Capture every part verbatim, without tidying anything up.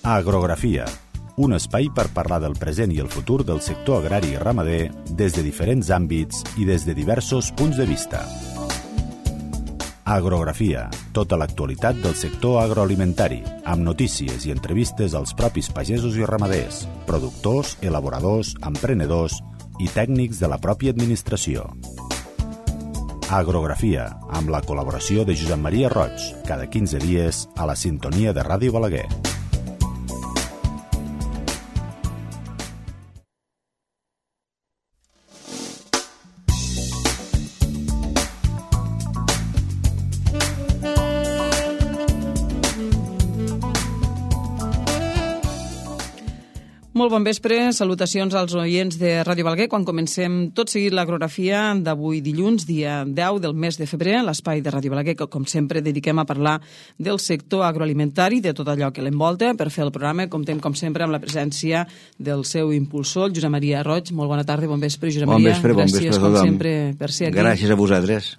Agrografia, un espai per parlar del present i el futur del sector agrari i ramader des de diferents àmbits i des de diversos punts de vista. Agrografia, tota l'actualitat del sector agroalimentari, amb notícies i entrevistes als propis pagesos i ramaders, productors, elaboradors, emprenedors i tècnics de la pròpia administració. Agrografia, amb la col·laboració de Josep Maria Roig, cada quinze dies a la sintonia de Ràdio Balaguer. Molt bon vespre, salutacions als oients de Ràdio Balaguer. Quan comencem tot seguit l'agrografia d'avui dilluns, dia deu del mes de febrer, l'espai de Ràdio Balaguer, que com sempre dediquem a parlar del sector agroalimentari, de tot allò que l'envolta. Per fer el programa comptem com sempre amb la presència del seu impulsor, Josep Maria Roig. Molt bona tarda, bon vespre, Josep Maria. Bon vespre, bon vespre a tothom. Gràcies com sempre per ser aquí. Gràcies a vosaltres.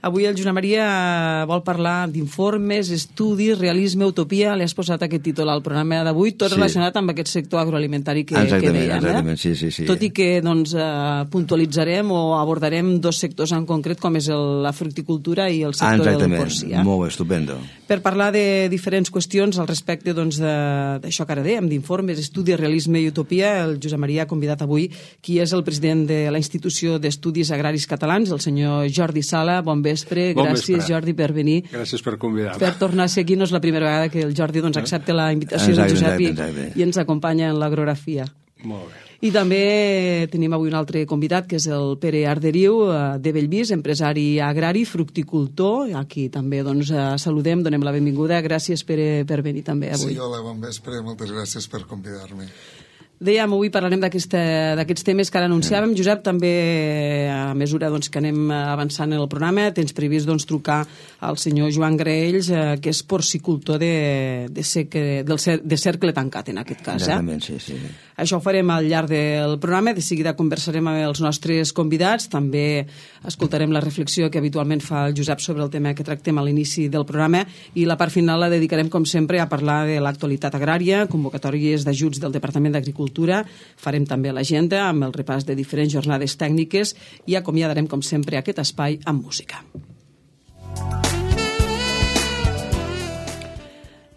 Avui el Josep Maria vol parlar d'informes, estudis, realisme, utopia. Li has posat aquest títol al programa d'avui, tot sí. relacionat amb aquest sector agroalimentari que, exactament, que dèiem. Exactament, eh? sí, sí, sí. Tot i que doncs, eh, puntualitzarem o abordarem dos sectors en concret, com és el, la fructicultura i el sector exactament. del porcí. Eh? Molt bé, estupendo. Per parlar de diferents qüestions al respecte doncs, d'això que ara dèiem, d'informes, estudis, realisme i utopia, el Josep Maria ha convidat avui qui és el president de la Institució d'Estudis Agraris Catalans, el senyor Jordi Sala. Bon vespre, bon gràcies. Gràcies, Jordi, per venir. Gràcies per convidar-me. Per tornar a ser aquí, no és la primera vegada que el Jordi doncs, accepta la invitació del Josep i, i ens acompanya en l'agrografia. Molt bé. I també tenim avui un altre convidat, que és el Pere Arderiu, de Bellvís, empresari agrari, fructicultor. Aquí també doncs, saludem, donem la benvinguda. Gràcies, Pere, per venir també avui. Sí, hola, bon vespre. Moltes gràcies per convidar-me. Dèiem, avui parlarem d'aquests temes que ara anunciàvem. Josep, també a mesura doncs, que anem avançant en el programa, tens previst doncs, trucar al senyor Joan Graells, eh, que és porcicultor de, de, seque, del cer de cercle tancat, en aquest cas. Eh? Exactament, sí, sí. Això ho farem al llarg del programa. De seguida conversarem amb els nostres convidats. També escoltarem la reflexió que habitualment fa el Josep sobre el tema que tractem a l'inici del programa i la part final la dedicarem, com sempre, a parlar de l'actualitat agrària, convocatòries d'ajuts del Departament d'Agricultura. Farem també l'agenda amb el repàs de diferents jornades tècniques i acomiadarem, com sempre, aquest espai amb música.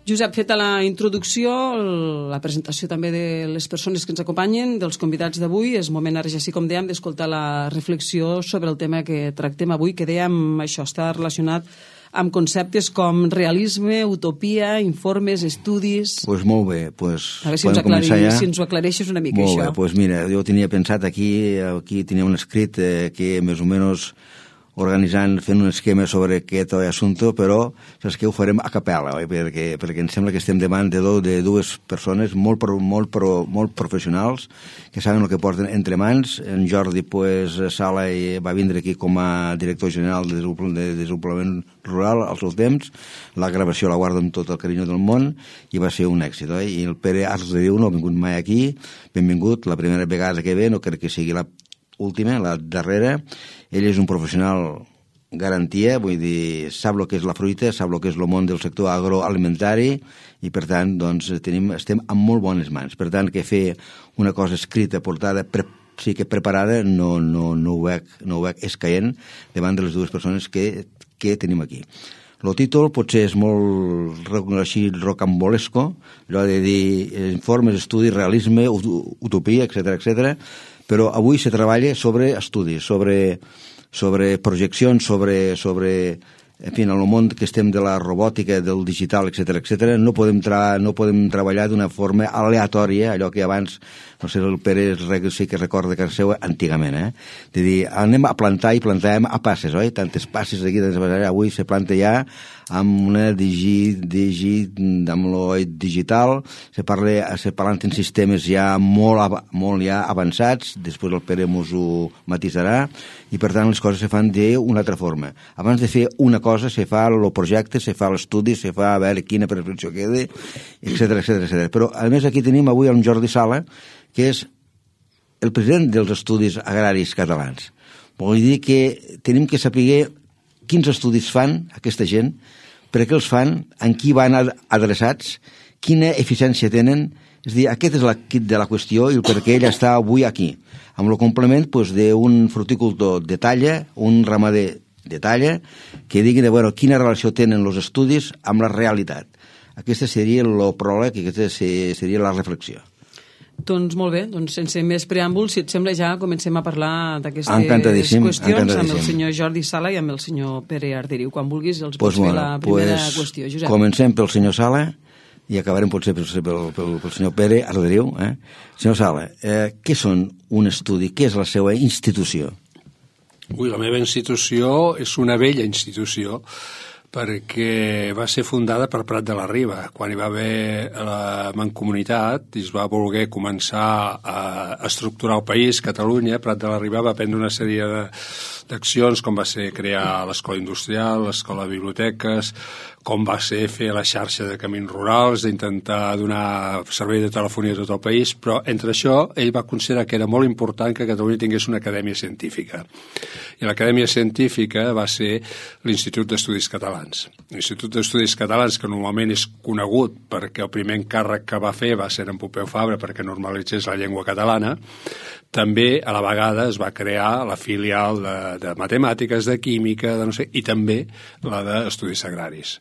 Josep, feta la introducció, la presentació també de les persones que ens acompanyen, dels convidats d'avui, és moment ara ja sí, com dèiem, d'escoltar la reflexió sobre el tema que tractem avui, que dèiem, això està relacionat amb conceptes com realisme, utopia, informes, estudis... Doncs pues molt bé. Pues a veure si ens, aclarir, ja. si ens ho aclareixes una mica, molt això. Molt bé, doncs pues mira, jo tenia pensat aquí, aquí tenia un escrit eh, que més o menys organitzant, fent un esquema sobre aquest assumpte, però saps que ho farem a capella, oi? Perquè, perquè em sembla que estem davant de, do, de dues persones molt, pro, molt, pro, molt professionals que saben el que porten entre mans. En Jordi pues, Sala va vindre aquí com a director general de desenvolupament rural al seu temps. La gravació la guardo amb tot el carinyo del món i va ser un èxit, oi? I el Pere Arderiu no ha vingut mai aquí, benvingut, la primera vegada que ve, no crec que sigui la última, la darrera. Ell és un professional garantia, vull dir, sap el que és la fruita, sap el que és el món del sector agroalimentari i, per tant, doncs, tenim, estem en molt bones mans. Per tant, que fer una cosa escrita, portada, pre, sí que preparada, no, no, no, ho veig, no ho veig escaient davant de les dues persones que, que tenim aquí. El títol potser és molt així rocambolesco, allò de dir informes, estudis, realisme, utopia, etcètera, etcètera, però avui se treballa sobre estudis, sobre, sobre projeccions, sobre, sobre en fi, en el món que estem de la robòtica, del digital, etcètera, etcètera. No podem, tra no podem treballar d'una forma aleatòria, allò que abans, no sé, el Pere sí que recorda que seu antigament, eh? De dir, anem a plantar i plantàvem a passes, oi? Tantes passes aquí, avui se planta ja amb una digi, digi, amb l'oi digital, se parla, se parlant en sistemes ja molt, molt ja avançats, després el Pere mos ho matisarà, i per tant les coses se fan d'una altra forma. Abans de fer una cosa se fa el projecte, se fa l'estudi, se fa a veure quina prescripció queda, etcètera, etcètera, etcètera. Però a més aquí tenim avui en Jordi Sala, que és el president dels estudis agraris catalans. Vol dir que tenim que saber quins estudis fan aquesta gent, per què els fan, en qui van adreçats quina eficiència tenen. És a dir, aquest és el kit de la qüestió i el per què ell està avui aquí, amb el complement doncs, d'un fruticultor de talla, un ramader de talla, que diguin bueno, quina relació tenen els estudis amb la realitat. Aquesta seria el pròleg i aquesta seria la reflexió. Doncs molt bé, doncs sense més preàmbuls, si et sembla ja comencem a parlar d'aquestes encantadíssim, qüestions encantadíssim. amb el senyor Jordi Sala i amb el senyor Pere Arderiu. Quan vulguis els pues pots bueno, fer la primera pues qüestió, Josep. Comencem pel senyor Sala i acabarem potser pel, pel, pel, pel senyor Pere Arderiu. Eh? Senyor Sala, eh, què són un estudi? Què és la seva institució? Ui, la meva institució és una vella institució, perquè va ser fundada per Prat de la Riba, quan hi va haver la mancomunitat i es va voler començar a estructurar el país, Catalunya. Prat de la Riba va prendre una sèrie d'accions, com va ser crear l'escola industrial, l'escola de biblioteques, com va ser fer la xarxa de camins rurals, d'intentar donar servei de telefonia a tot el país, però entre això ell va considerar que era molt important que Catalunya tingués una acadèmia científica. I l'acadèmia científica va ser l'Institut d'Estudis Catalans. L'Institut d'Estudis Catalans, que normalment és conegut perquè el primer encàrrec que va fer va ser en Pompeu Fabra perquè normalitzés la llengua catalana, també a la vegada es va crear la filial de, de matemàtiques, de química, de no sé, i també la d'estudis agraris.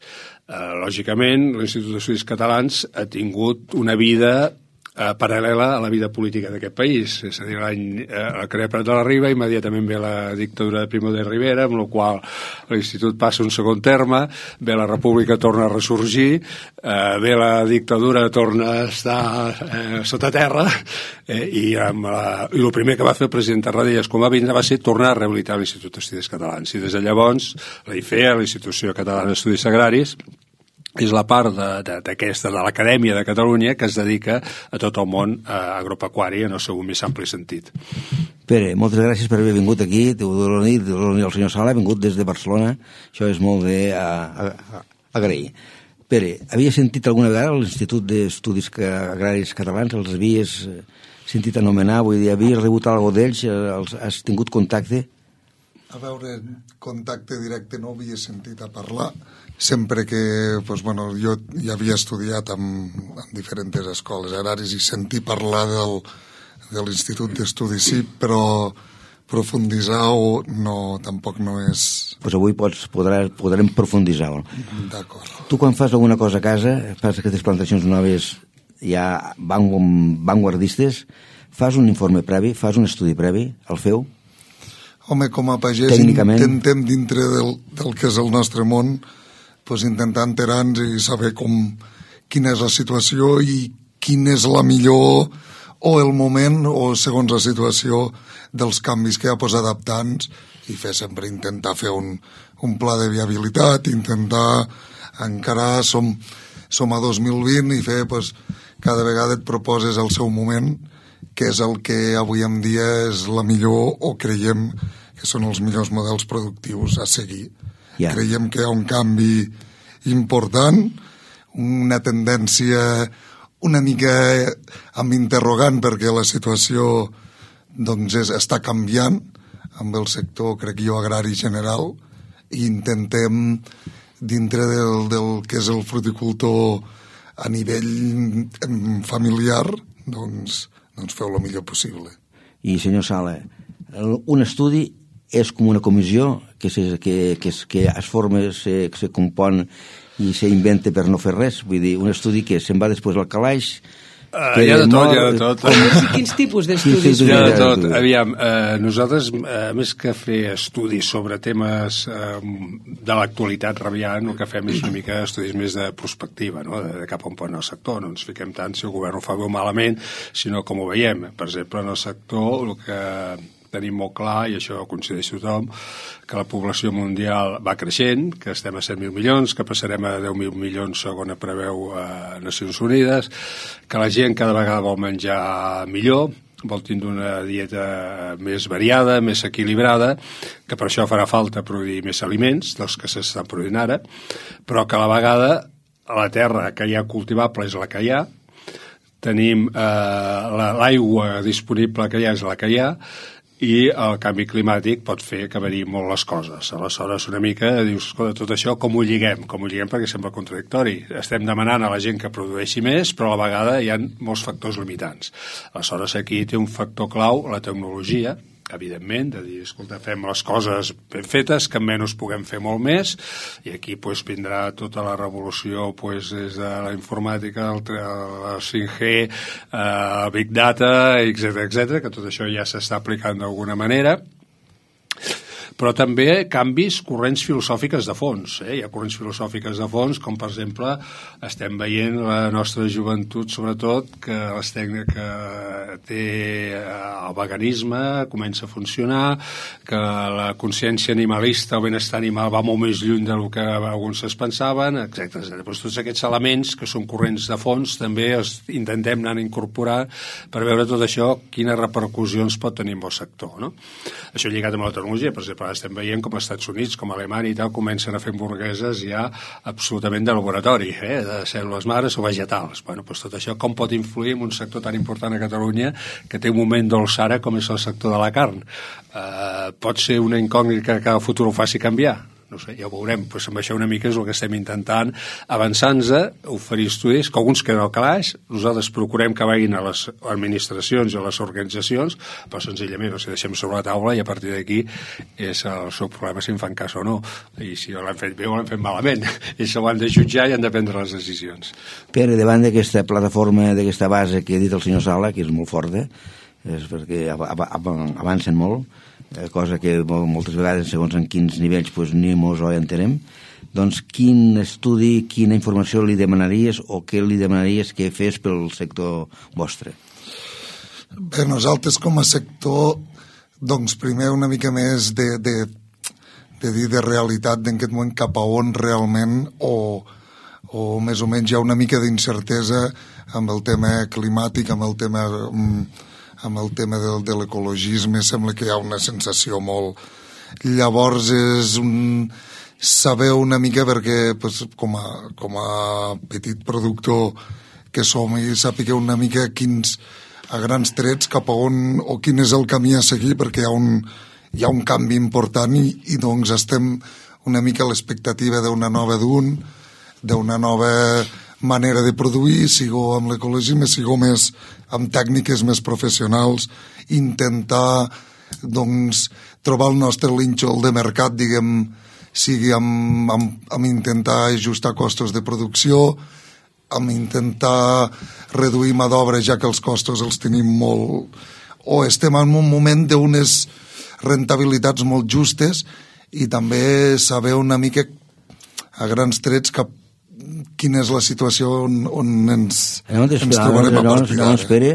Eh, lògicament, l'Institut d'Estudis Catalans ha tingut una vida eh, paral·lela a la vida política d'aquest país. És a dir, l'any eh, crea Prat de la Riba, immediatament ve la dictadura de Primo de Rivera, amb la qual l'Institut passa un segon terme, ve la República, torna a ressorgir, eh, ve la dictadura, torna a estar eh, sota terra, eh, i, amb la, i el primer que va fer el president Tarradellas quan va vindre va ser tornar a rehabilitar l'Institut d'Estudis Catalans. I des de llavors, la I F E A, l'Institució Catalana d'Estudis Agraris, és la part d'aquesta, de, de, de l'Acadèmia de Catalunya que es dedica a tot el món eh, agropecuari en el seu més ampli sentit. Pere, moltes gràcies per haver vingut aquí. T'ho dono nit, el senyor Sala ha vingut des de Barcelona. Això és molt d'agrair. Pere, havia sentit alguna vegada l'Institut d'Estudis Agraris Catalans? Els havies sentit anomenar? Vull dir, havies rebut alguna d'ells? Has tingut contacte? A veure, contacte directe no havia sentit a parlar. Sempre que, doncs, bueno, jo ja havia estudiat en, en diferents escoles agraris i sentir parlar del, de l'Institut d'Estudis sí, però profunditzar o no, tampoc no és... Pues avui pots, podrà, podrem profunditzar. D'acord. Tu quan fas alguna cosa a casa, fas aquestes plantacions noves ja vanguardistes, fas un informe previ, fas un estudi previ, el feu? Home, com a pagès intentem dintre del, del que és el nostre món, pues, intentar enterar-nos i saber com, quina és la situació i quin és la millor o el moment o segons la situació dels canvis que hi ha, pues, adaptar-nos i fer sempre intentar fer un, un pla de viabilitat, intentar encarar, som, som a dos mil vint i fer, pues, cada vegada et proposes el seu moment, que és el que avui en dia és la millor o creiem que són els millors models productius a seguir. Yeah. Creiem que hi ha un canvi important, una tendència una mica amb interrogant perquè la situació doncs, és, està canviant amb el sector, crec jo, agrari general i intentem dintre del, del que és el fruticultor a nivell familiar doncs, doncs feu el millor possible. I senyor Sala, un estudi és com una comissió que, se, que, que, que es forma, se, se compon i s'inventa per no fer res. Vull dir, un estudi que se'n va després al calaix... Uh, hi ha de tot, hi ha de tot. Com, quins tipus d'estudis? Hi ha de tot. Aviam, eh, nosaltres, eh, més que fer estudis sobre temes eh, de l'actualitat rabiant, el que fem és una mica estudis més de prospectiva, no? de, de cap on pot anar el sector. No ens fiquem tant si el govern ho fa bé o malament, sinó com ho veiem. Per exemple, en el sector, el que tenim molt clar, i això ho coincideix tothom, que la població mundial va creixent, que estem a set mil milions, que passarem a deu mil milions segons preveu a Nacions Unides, que la gent cada vegada vol menjar millor, vol tindre una dieta més variada, més equilibrada, que per això farà falta produir més aliments dels que s'estan produint ara, però que a la vegada a la terra que hi ha cultivable és la que hi ha, tenim eh, l'aigua disponible que hi ha és la que hi ha, i el canvi climàtic pot fer que variïn molt les coses. Aleshores, una mica, dius, escolta, tot això com ho lliguem? Com ho lliguem perquè sembla contradictori. Estem demanant a la gent que produeixi més, però a la vegada hi ha molts factors limitants. Aleshores, aquí té un factor clau, la tecnologia, evidentment, de dir, escolta, fem les coses ben fetes, que menys puguem fer molt més, i aquí pues, vindrà tota la revolució pues, des de la informàtica, el, el cinc G, el Big Data, etcètera, etcètera, que tot això ja s'està aplicant d'alguna manera, però també canvis, corrents filosòfiques de fons. Eh? Hi ha corrents filosòfiques de fons, com per exemple estem veient la nostra joventut, sobretot, que les tècniques que té el veganisme comença a funcionar, que la consciència animalista o benestar animal va molt més lluny del que alguns es pensaven, etcètera etcètera. Però tots aquests elements, que són corrents de fons, també els intentem anar a incorporar per veure tot això, quines repercussions pot tenir en el sector. No? Això lligat amb la tecnologia, per exemple, estem veient com als Estats Units, com a Alemanya i tal, comencen a fer hamburgueses ja absolutament de laboratori, eh? de cèl·lules mares o vegetals. Bueno, doncs tot això com pot influir en un sector tan important a Catalunya que té un moment dolç ara com és el sector de la carn? Eh, pot ser una incògnita que el futur ho faci canviar? No sé, ja ho veurem. Pues amb això una mica és el que estem intentant avançar-nos, oferir estudis, que alguns queden al calaix, nosaltres procurem que vagin a les administracions i a les organitzacions, però senzillament els deixem sobre la taula i a partir d'aquí és el seu problema si en fan cas o no. I si l'han fet bé o l'han fet malament. Ells ho han de jutjar i han de prendre les decisions. Pere, davant d'aquesta plataforma, d'aquesta base que ha dit el senyor Sala, que és molt forta, és perquè avancen molt, cosa que moltes vegades, segons en quins nivells, doncs, ni mos ho entenem. Doncs quin estudi, quina informació li demanaries o què li demanaries que fes pel sector vostre? Bé, nosaltres com a sector, doncs primer una mica més de, de, de dir de realitat d'en aquest moment cap a on realment o, o més o menys hi ha una mica d'incertesa amb el tema climàtic, amb el tema... amb el tema de, de l'ecologisme, sembla que hi ha una sensació molt... Llavors és un... saber una mica perquè pues, com, a, com a petit productor que som i sàpiga una mica quins a grans trets cap a on o quin és el camí a seguir perquè hi ha un, hi ha un canvi important i, i doncs estem una mica a l'expectativa d'una nova d'un, d'una nova manera de produir, sigo amb l'ecologisme, sigo més amb tècniques més professionals, intentar doncs, trobar el nostre nínxol de mercat, diguem, sigui amb, amb, amb intentar ajustar costos de producció, amb intentar reduir mà d'obra ja que els costos els tenim molt... o estem en un moment d'unes rentabilitats molt justes i també saber una mica a grans trets cap quina és la situació on, on ens, no, ens trobarem a partir d'ara. No, espere,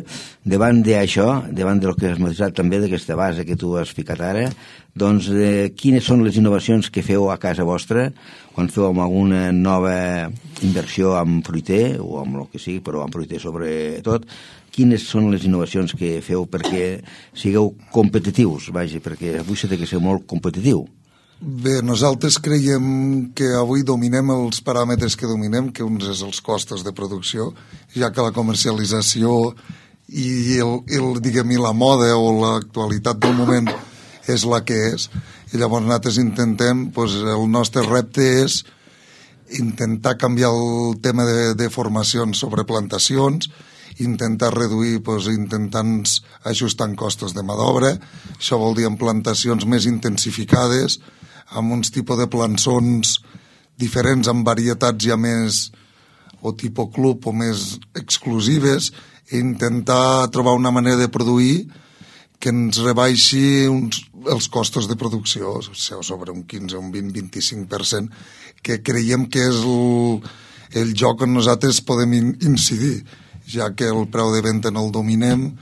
davant d'això, davant del que has matisat també d'aquesta base que tu has ficat ara, doncs eh, quines són les innovacions que feu a casa vostra quan feu alguna nova inversió amb fruiter o amb el que sigui, però amb fruiter sobretot, quines són les innovacions que feu perquè sigueu competitius, vaja, perquè avui s'ha de ser molt competitiu. Bé, nosaltres creiem que avui dominem els paràmetres que dominem, que uns és els costos de producció, ja que la comercialització i, el, el, diguem, i la moda o l'actualitat del moment és la que és. I llavors nosaltres intentem, doncs, el nostre repte és intentar canviar el tema de, de formacions sobre plantacions, intentar reduir, doncs, intentant ajustar costos de mà d'obra. Això vol dir en plantacions més intensificades, amb uns tipus de plançons diferents, amb varietats ja més o tipus club o més exclusives, i intentar trobar una manera de produir que ens rebaixi uns, els costos de producció, o sigui, sobre un quinze, un vint, vint-i-cinc per cent, que creiem que és el, el joc on nosaltres podem incidir, ja que el preu de venda no el dominem,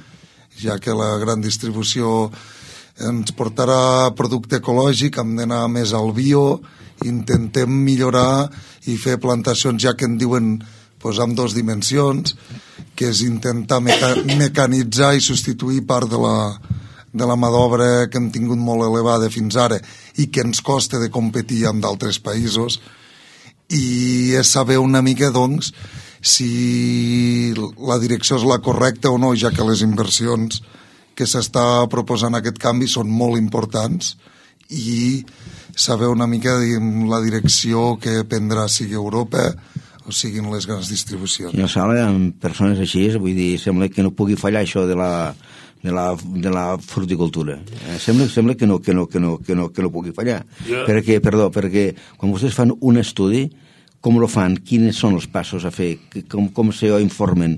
ja que la gran distribució ens portarà producte ecològic, hem d'anar més al bio, intentem millorar i fer plantacions ja que en diuen doncs, amb dues dimensions, que és intentar meca mecanitzar i substituir part de la, de la mà d'obra que hem tingut molt elevada fins ara i que ens costa de competir amb d'altres països, i és saber una mica, doncs, si la direcció és la correcta o no, ja que les inversions que s'està proposant aquest canvi són molt importants i saber una mica la direcció que prendrà sigui Europa o siguin les grans distribucions. Senyor Sala, amb persones així, vull dir, sembla que no pugui fallar això de la, de la, de la fruticultura. Eh, sembla, sembla que, no, que, no, que, no, que, no, que no pugui fallar. Yeah. Perquè, perdó, perquè quan vostès fan un estudi, com lo fan? Quins són els passos a fer? Com, com se informen?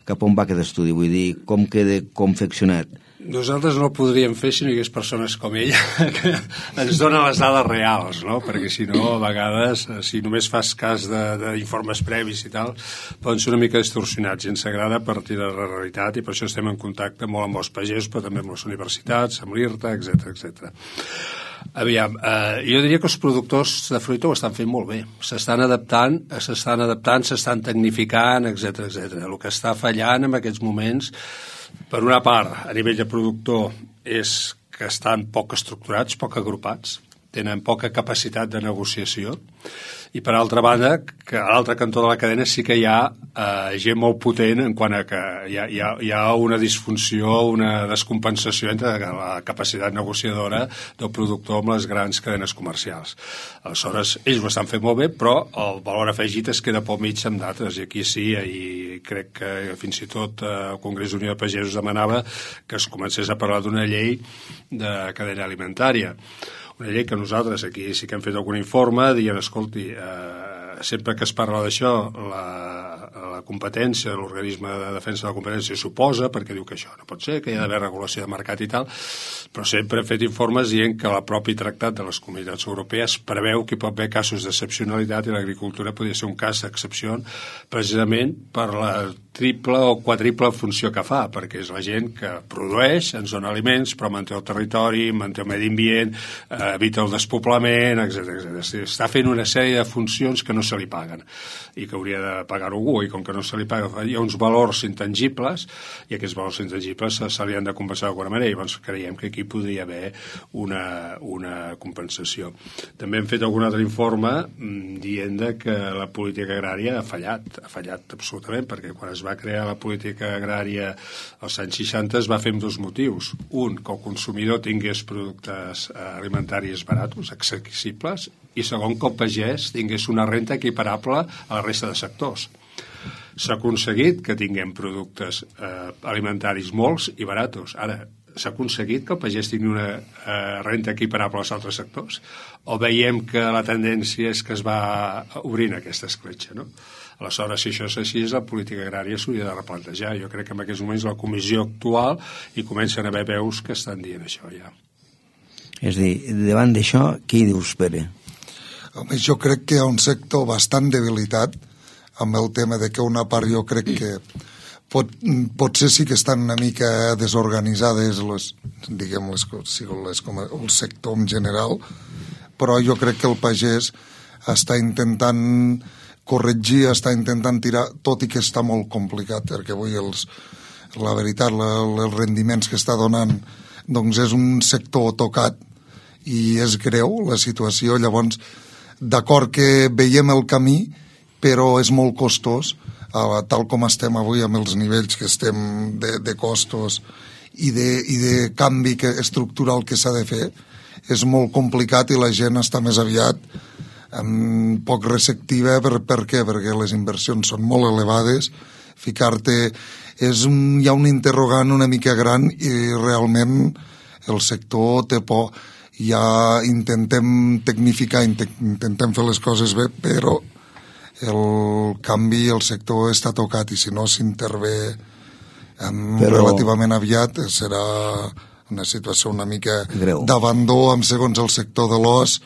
Cap on va aquest estudi? Vull dir, com queda confeccionat? Nosaltres no ho podríem fer si no hi hagués persones com ella que ens donen les dades reals, no? Perquè si no, a vegades, si només fas cas d'informes previs i tal, poden ser una mica distorsionats i ens agrada partir de la realitat i per això estem en contacte molt amb els pagesos, però també amb les universitats, amb l'I R T A, etcètera, etcètera. Aviam, eh, jo diria que els productors de fruita ho estan fent molt bé. S'estan adaptant, s'estan adaptant, s'estan tecnificant, etcètera, etcètera. El que està fallant en aquests moments, per una part, a nivell de productor, és que estan poc estructurats, poc agrupats, tenen poca capacitat de negociació, i per altra banda, que a l'altre cantó de la cadena sí que hi ha eh, gent molt potent en quant a que hi ha, hi ha, hi ha una disfunció, una descompensació entre la capacitat negociadora del productor amb les grans cadenes comercials. Aleshores, ells ho estan fent molt bé, però el valor afegit es queda pel mig amb d'altres, i aquí sí, i crec que fins i tot eh, el Congrés d'Unió de Pagesos demanava que es comencés a parlar d'una llei de cadena alimentària. Una llei que nosaltres aquí sí que hem fet algun informe dient, escolti, eh, sempre que es parla d'això, la, la competència, l'organisme de defensa de la competència s'oposa perquè diu que això no pot ser, que hi ha d'haver regulació de mercat i tal, però sempre hem fet informes dient que el propi tractat de les comunitats europees preveu que hi pot haver casos d'excepcionalitat i l'agricultura podria ser un cas d'excepció precisament per la triple o quadriple funció que fa, perquè és la gent que produeix, ens dona aliments, però manté el territori, manté el medi ambient, eh, evita el despoblament, etcètera, etcètera. Està fent una sèrie de funcions que no se li paguen i que hauria de pagar algú, i com que no se li paga, hi ha uns valors intangibles i aquests valors intangibles se, se li han de compensar d'alguna manera, i llavors creiem que aquí podria haver una, una compensació. També hem fet algun altre informe mmm, dient que la política agrària ha fallat, ha fallat absolutament, perquè quan es va crear la política agrària als anys seixanta es va fer amb dos motius. Un, que el consumidor tingués productes eh, alimentaris baratos, accessibles, i segon, que el pagès tingués una renta equiparable a la resta de sectors. S'ha aconseguit que tinguem productes eh, alimentaris molts i baratos. Ara, s'ha aconseguit que el pagès tingui una eh, renta equiparable als altres sectors? O veiem que la tendència és que es va obrint aquesta escletxa, no? Aleshores, si això és així, la política agrària s'hauria de replantejar. Jo crec que en aquests moments la comissió actual hi comencen a haver veus que estan dient això ja. És a dir, davant d'això, què hi dius, Pere? Home, jo crec que hi ha un sector bastant debilitat amb el tema de que una part jo crec que pot, potser sí que estan una mica desorganitzades les, diguem, les, les, com el sector en general, però jo crec que el pagès està intentant corregir, està intentant tirar, tot i que està molt complicat, perquè avui els, la veritat, la, els rendiments que està donant, doncs és un sector tocat i és greu la situació. Llavors, d'acord que veiem el camí, però és molt costós, eh, tal com estem avui amb els nivells que estem de, de costos i de, i de canvi que, estructural que s'ha de fer, és molt complicat i la gent està més aviat um, poc receptiva. Per, per què? Perquè les inversions són molt elevades, ficar-te és un, hi ha un interrogant una mica gran i realment el sector té por. Ja intentem tecnificar, intentem fer les coses bé, però el canvi, el sector està tocat i si no s'intervé um, però... relativament aviat serà una situació una mica greu d'abandó amb segons el sector de l'os.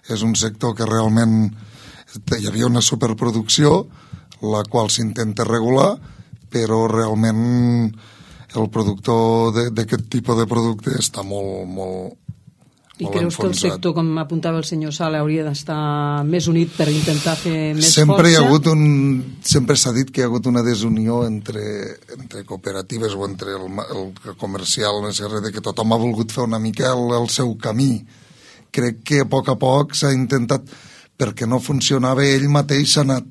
És un sector que realment hi havia una superproducció la qual s'intenta regular, però realment el productor d'aquest tipus de producte està molt, molt, I creus que el sector, com apuntava el senyor Sala, hauria d'estar més unit per intentar fer més sempre força? Hi ha hagut un, sempre s'ha dit que hi ha hagut una desunió entre, entre cooperatives o entre el, el comercial, que tothom ha volgut fer una mica el, el seu camí. Crec que a poc a poc s'ha intentat, perquè no funcionava ell mateix, s'ha anat,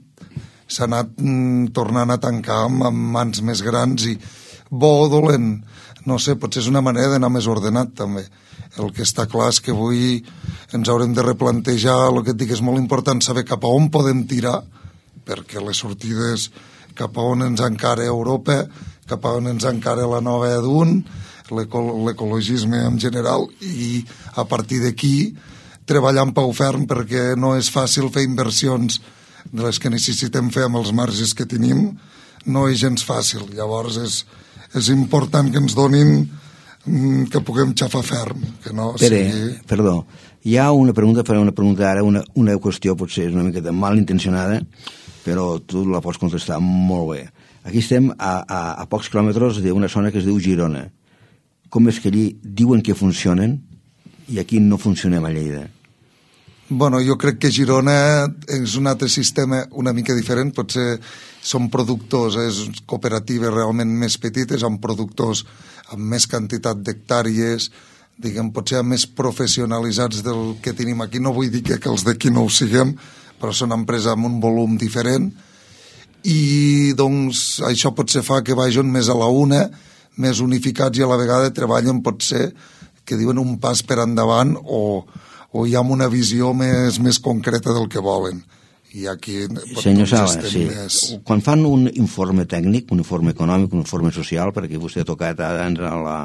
s'ha anat mm, tornant a tancar amb, amb mans més grans i bo o dolent, no sé, potser és una manera d'anar més ordenat també. El que està clar és que avui ens haurem de replantejar, el que et dic és molt important saber cap a on podem tirar, perquè les sortides cap a on ens encara Europa, cap a on ens encara la nova E D U N, l'ecologisme en general, i a partir d'aquí treballar en peu ferm, perquè no és fàcil fer inversions de les que necessitem fer amb els marges que tenim, no és gens fàcil. Llavors és, és important que ens donin que puguem xafar ferm. Que no Pere, sigui... perdó, hi ha una pregunta, faré una pregunta ara, una, una qüestió potser és una miqueta mal intencionada, però tu la pots contestar molt bé. Aquí estem a, a, a pocs quilòmetres d'una zona que es diu Girona. Com és que allí diuen que funcionen i aquí no funcionem a Lleida? Bueno, jo crec que Girona és un altre sistema una mica diferent, potser són productors, és cooperatives realment més petites, amb productors amb més quantitat d'hectàrees, diguem, potser més professionalitzats del que tenim aquí. No vull dir que, que els d'aquí no ho siguem, però són empreses amb un volum diferent, i doncs això potser fa que vagin més a la una, més unificats, i a la vegada treballen potser, que diuen, un pas per endavant, o o hi ha una visió més, més concreta del que volen. I aquí... Senyor Sala, sí. Més... Quan fan un informe tècnic, un informe econòmic, un informe social, perquè vostè ha tocat abans a la,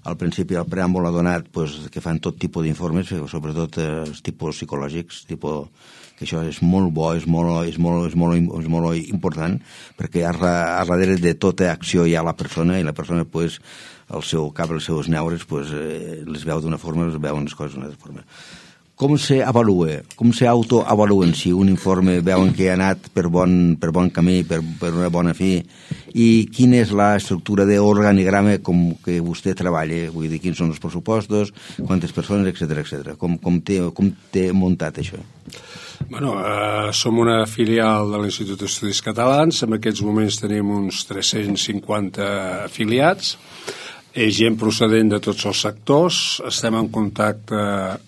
al principi del preàmbul ha donat pues, que fan tot tipus d'informes, sobretot eh, tipus psicològics, tipus que això és molt bo, és molt, és molt, és molt, és molt important, perquè a, a darrere de tota acció hi ha la persona, i la persona pues, el seu cap, els seus neures, pues, eh, les veu d'una forma, les veuen les coses d'una altra forma. Com s'avalua, com s'autoavaluen si un informe veuen que ha anat per bon, per bon camí, per, per una bona fi, i quina és la estructura d'organigrama com que vostè treballa, vull dir, quins són els pressupostos, quantes persones, etcètera, etcètera. Com, com, té, com té muntat això? Bueno, eh, som una filial de l'Institut d'Estudis Catalans, en aquests moments tenim uns tres-cents cinquanta afiliats, és gent procedent de tots els sectors, estem en contacte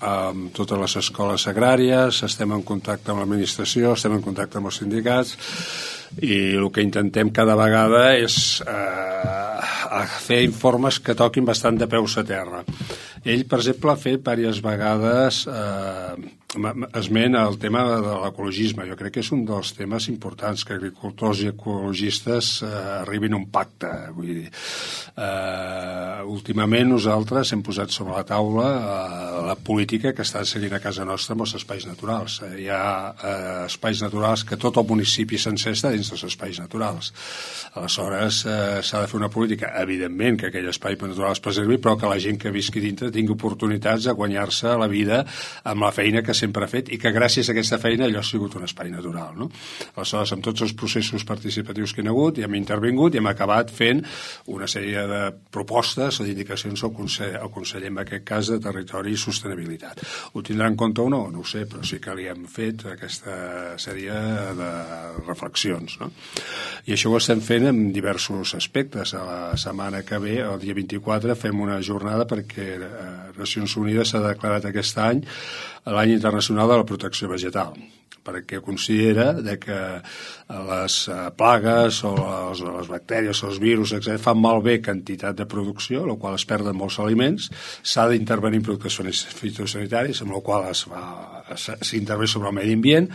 amb totes les escoles agràries, estem en contacte amb l'administració, estem en contacte amb els sindicats, i el que intentem cada vegada és eh, fer informes que toquin bastant de peus a terra. Ell, per exemple, ha fet diverses vegades eh, esment al tema de l'ecologisme. Jo crec que és un dels temes importants, que agricultors i ecologistes eh, arribin a un pacte. Vull dir, eh, últimament nosaltres hem posat sobre la taula eh, la política que està seguint a casa nostra amb els espais naturals. Eh, hi ha eh, espais naturals que tot el municipi sencer està dins dels espais naturals. Aleshores, eh, s'ha de fer una política, evidentment, que aquell espai natural es preservi, però que la gent que visqui dintre tingui oportunitats de guanyar-se la vida amb la feina que sempre ha fet, i que gràcies a aquesta feina allò ha sigut un espai natural, no? Aleshores, amb tots els processos participatius que hi ha hagut, i hem intervingut i hem acabat fent una sèrie de propostes o d'indicacions al conseller, al conseller, en aquest cas, de Territori i Sostenibilitat. Ho tindrà en compte o no? No ho sé, però sí que li hem fet aquesta sèrie de reflexions, no? I això ho estem fent en diversos aspectes. A la setmana que ve, el dia vint-i-quatre, fem una jornada perquè Nacions Unides s'ha declarat aquest any l'any internacional de la protecció vegetal, perquè considera de que les plagues o les, les bactèries o els virus, etcètera, fan malbé quantitat de producció, en la qual es perden molts aliments, s'ha d'intervenir en productes fitosanitaris, amb la qual es va s'intervé sobre el medi ambient,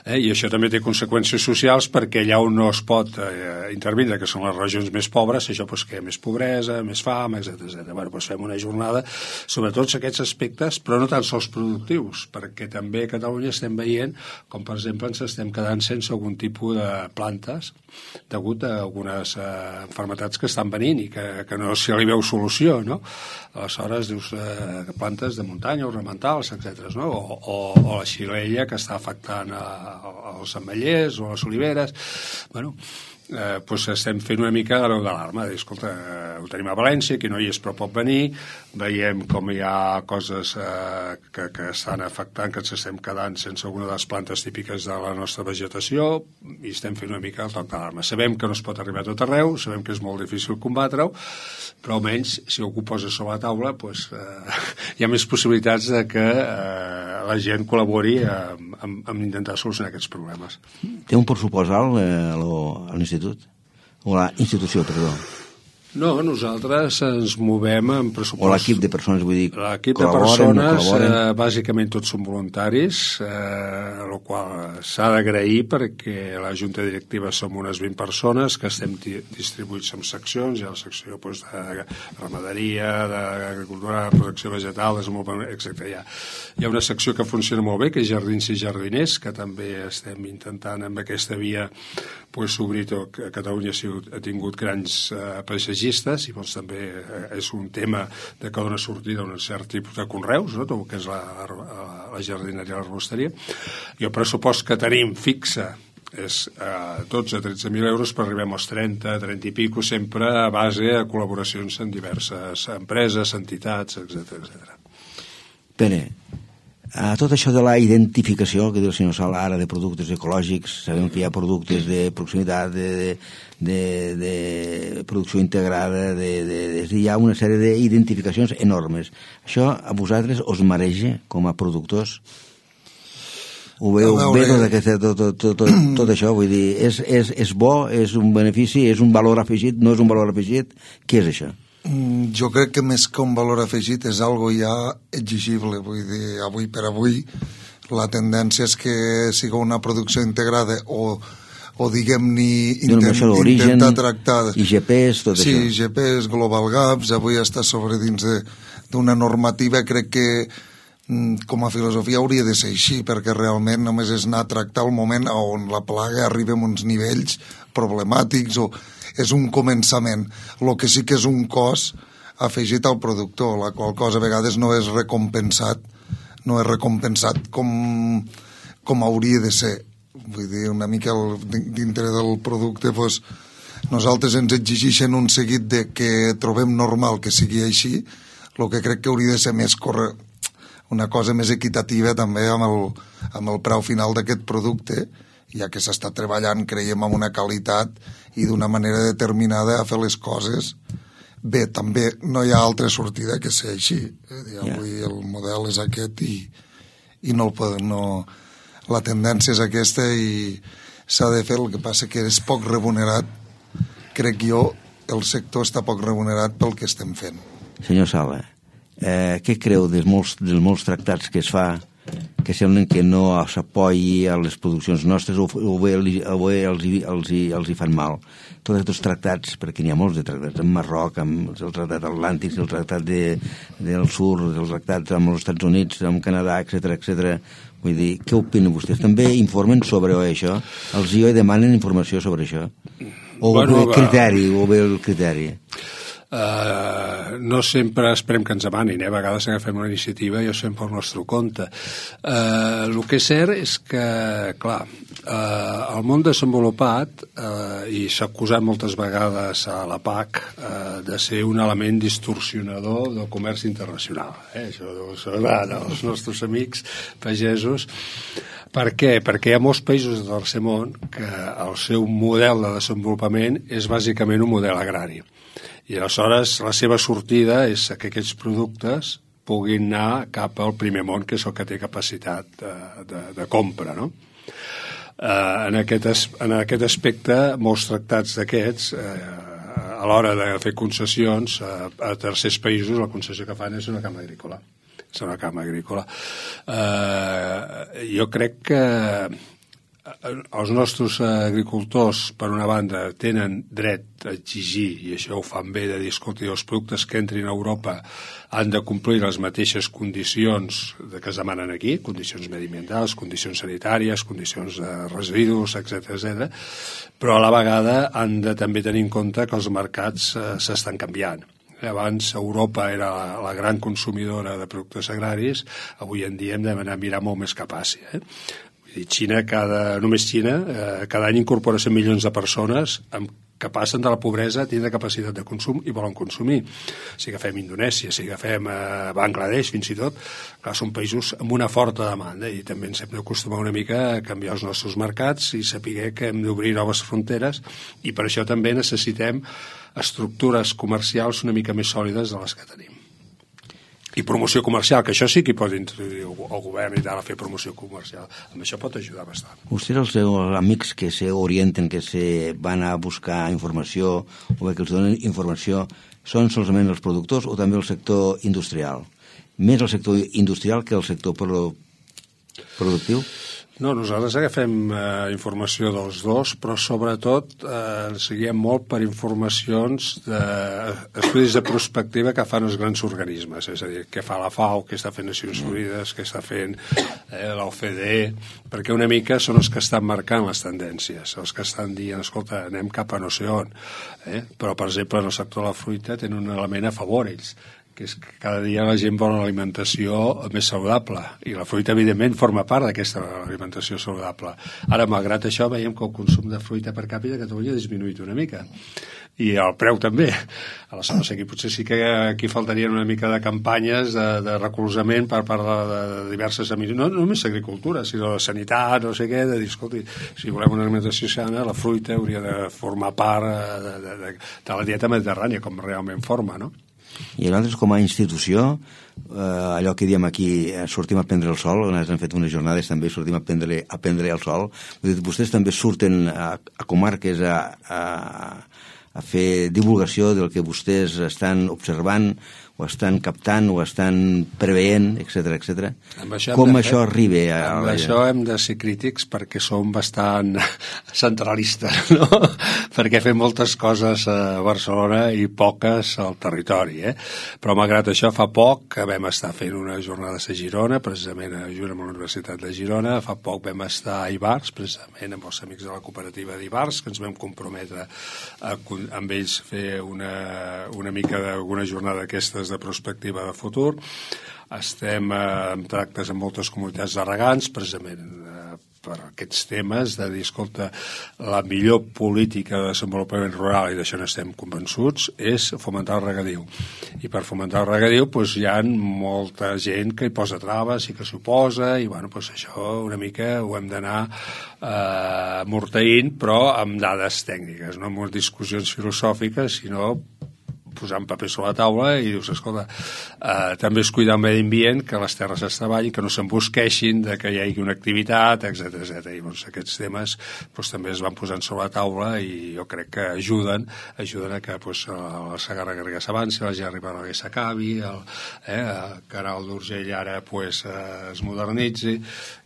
eh, i això també té conseqüències socials, perquè allà on no es pot eh, intervindre, que són les regions més pobres, això pues, que hi ha més pobresa, més fam, etcètera, etcètera. Bueno, pues fem una jornada sobre tots aquests aspectes, però no tan sols productius, perquè també a Catalunya estem veient com, per exemple, ens estem quedant sense algun tipus de plantes degut a algunes eh, malalties que estan venint i que, que no s'hi li veu solució, no? Aleshores, dius eh, plantes de muntanya, ornamentals, etcètera, no? O, o, o la xirella que està afectant a, a, als ametllers o a les oliveres. Bueno, eh, doncs estem fent una mica de veu d'alarma, de dir, escolta, eh, ho tenim a València, que no hi és però pot venir, veiem com hi ha coses eh, que, que estan afectant, que ens estem quedant sense alguna de les plantes típiques de la nostra vegetació, i estem fent una mica el toc d'alarma. Sabem que no es pot arribar a tot arreu, sabem que és molt difícil combatre-ho, però almenys si algú posa sobre la taula doncs, eh, hi ha més possibilitats de que eh, la gent col·labori amb, amb, amb intentar solucionar aquests problemes. Té un pressupost alt eh, a l'institut? O a la institució, perdó? No, nosaltres ens movem en pressupost... O l'equip de persones, vull dir, l'equip de persones, eh, bàsicament tots són voluntaris, eh, el qual s'ha d'agrair perquè la Junta Directiva som unes vint persones que estem distribuïts en seccions, hi ha la secció doncs, de ramaderia, d'agricultura, de protecció vegetal, desenvolupament, etcètera. Hi ha, hi ha una secció que funciona molt bé, que és Jardins i Jardiners, que també estem intentant amb aquesta via pues, obrir tot. Catalunya ha tingut grans eh, paisatgistes i doncs, també eh, és un tema de que dona sortida a un cert tipus de conreus, no? Tot el que és la, la, la jardineria i l'arbosteria. I el pressupost que tenim fixa és eh, dotze a tretze mil euros, per arribem als trenta, trenta i pico, sempre a base de col·laboracions amb diverses empreses, entitats, etcètera, etcètera. Pere, a tot això de la identificació que diu el senyor Sala ara de productes ecològics, sabem que hi ha productes de proximitat, de, de, de, de producció integrada, de, de, de, hi ha una sèrie d'identificacions enormes. Això a vosaltres us mareja com a productors? Ho veu bé tot, aquest, tot, tot, tot, tot, tot això? Vull dir, és, és, és bo, és un benefici, és un valor afegit, no és un valor afegit? Què és això? Jo crec que més que un valor afegit és algo ja exigible, vull dir, avui per avui la tendència és que siga una producció integrada o, o diguem-ne intent, intentar tractar I G Ps, tot sí, això. Sí, I G Ps, Global Gaps, avui està sobre dins d'una normativa, crec que com a filosofia hauria de ser així, perquè realment només és anar a tractar el moment on la plaga arriba a uns nivells problemàtics o és un començament. El que sí que és un cost afegit al productor, la qual cosa a vegades no és recompensat, no és recompensat com, com hauria de ser. Vull dir, una mica el, dintre del producte, doncs, nosaltres ens exigeixen un seguit de que trobem normal que sigui així, el que crec que hauria de ser més corre... una cosa més equitativa també amb el, amb el preu final d'aquest producte, ja que s'està treballant, creiem, amb una qualitat i d'una manera determinada a fer les coses bé. També no hi ha altra sortida que ser així. Eh? Avui yeah. el model és aquest i, i no el poden... No... La tendència és aquesta i s'ha de fer. El que passa que és poc remunerat. Crec jo, el sector està poc remunerat pel que estem fent. Senyor Sala, eh, què creu dels molts, dels molts tractats que es fa que semblen que no s'apoyi a les produccions nostres o, o bé, o bé els, els, els hi fan mal? Tots aquests tractats, perquè n'hi ha molts de tractats, amb Marroc, amb el tractat atlàntic, el tractat de, del sur, els tractats amb els Estats Units, amb Canadà, etcètera, etcètera. Vull dir, què opinen vostès? També informen sobre això? Els I O demanen informació sobre això? O bueno, el criteri, o bé el criteri? Uh, no sempre esperem que ens demanin, eh? A vegades agafem una iniciativa i ho fem pel nostre compte. Uh, el que és cert és que, clar, uh, el món desenvolupat, uh, i s'ha acusat moltes vegades a la P A C uh, de ser un element distorsionador del comerç internacional. Eh? Això ho sabran els nostres amics pagesos. Per què? Perquè hi ha molts països del tercer món que el seu model de desenvolupament és bàsicament un model agrari. I aleshores la seva sortida és que aquests productes puguin anar cap al primer món, que és el que té capacitat de, de, de compra, no? Eh, en, aquest, en aquest aspecte, molts tractats d'aquests, eh, a l'hora de fer concessions a, a tercers països, la concessió que fan és una cama agrícola. És una cama agrícola. Eh, jo crec que els nostres agricultors, per una banda, tenen dret a exigir, i això ho fan bé, de dir, escolta, els productes que entrin a Europa han de complir les mateixes condicions que es demanen aquí, condicions mediambientals, condicions sanitàries, condicions de residus, etcètera, etcètera, però a la vegada han de també tenir en compte que els mercats eh, s'estan canviant. Abans Europa era la, la gran consumidora de productes agraris, avui en dia hem d'anar a mirar molt més cap a Àsia, eh? Xina, cada, només Xina, eh, cada any incorpora cent milions de persones amb, que passen de la pobresa a tindre capacitat de consum i volen consumir. Si agafem Indonèsia, si agafem eh, Bangladesh, fins i tot, clar, són països amb una forta demanda i també ens hem d'acostumar una mica a canviar els nostres mercats i saber que hem d'obrir noves fronteres i per això també necessitem estructures comercials una mica més sòlides de les que tenim. I promoció comercial, que això sí que hi pot introduir el govern i tal, a fer promoció comercial. Amb això pot ajudar bastant. Vostès, els seus amics que se orienten, que se van a buscar informació o bé que els donen informació, són solament els productors o també el sector industrial? Més el sector industrial que el sector productiu? No, nosaltres agafem eh, informació dels dos, però sobretot eh, ens seguiem molt per informacions d'estudis de, de prospectiva que fan els grans organismes, és a dir, què fa la FAO, què està fent Nacions Unides, què està fent eh, l'O C D E, perquè una mica són els que estan marcant les tendències, els que estan dient, escolta, anem cap a no sé on. Eh? Però, per exemple, en el sector de la fruita tenen un element a favor ells, que és que cada dia la gent vol una alimentació més saludable, i la fruita, evidentment, forma part d'aquesta alimentació saludable. Ara, malgrat això, veiem que el consum de fruita per càpita a Catalunya ha disminuït una mica, i el preu també. Aleshores, aquí potser sí que aquí faltarien una mica de campanyes de, de recolzament per part de, de diverses administracions, no només d'agricultura, sinó de sanitat, no sé què, de dir, escolti, si volem una alimentació sana, la fruita hauria de formar part de, de, de, de la dieta mediterrània, com realment forma, no? I nosaltres, com a institució, eh, allò que diem aquí, eh, sortim a prendre el sol, nosaltres hem fet unes jornades també, sortim a prendre, a prendre el sol. Vostès també surten a, a comarques a, a, a fer divulgació del que vostès estan observant, o estan captant, o estan preveient, etcètera, etcètera. Com això arriba a... Amb això hem de ser crítics perquè som bastant centralistes, no? Perquè fem moltes coses a Barcelona i poques al territori, eh? Però malgrat això, fa poc que vam estar fent unes jornades a Girona, precisament a junt amb la Universitat de Girona, fa poc vam estar a Ivars, precisament amb els amics de la cooperativa d'Ivars, que ens vam comprometre a, amb ells fer una, una mica d'una jornada d'aquestes de prospectiva de futur. Estem eh, en tractes amb moltes comunitats de regants, precisament eh, per aquests temes de dir, escolta, la millor política de desenvolupament rural, i d'això n'estem convençuts, és fomentar el regadiu. I per fomentar el regadiu doncs, hi ha molta gent que hi posa traves i que s'hi oposa, i bueno, doncs això una mica ho hem d'anar eh, morteint, però amb dades tècniques, no amb discussions filosòfiques, sinó posant paper sobre la taula i dius, escolta, eh, també és cuidar el medi ambient, que les terres es treballin, que no s'embosqueixin, de que hi hagi una activitat, etcètera, etcètera. I doncs, aquests temes doncs, també es van posant sobre la taula i jo crec que ajuden, ajuden a que doncs, la Segarra Garrigues s'avanci, la Gerri Balaguer s'acabi, el, eh, el Canal d'Urgell ara pues, eh, es modernitzi,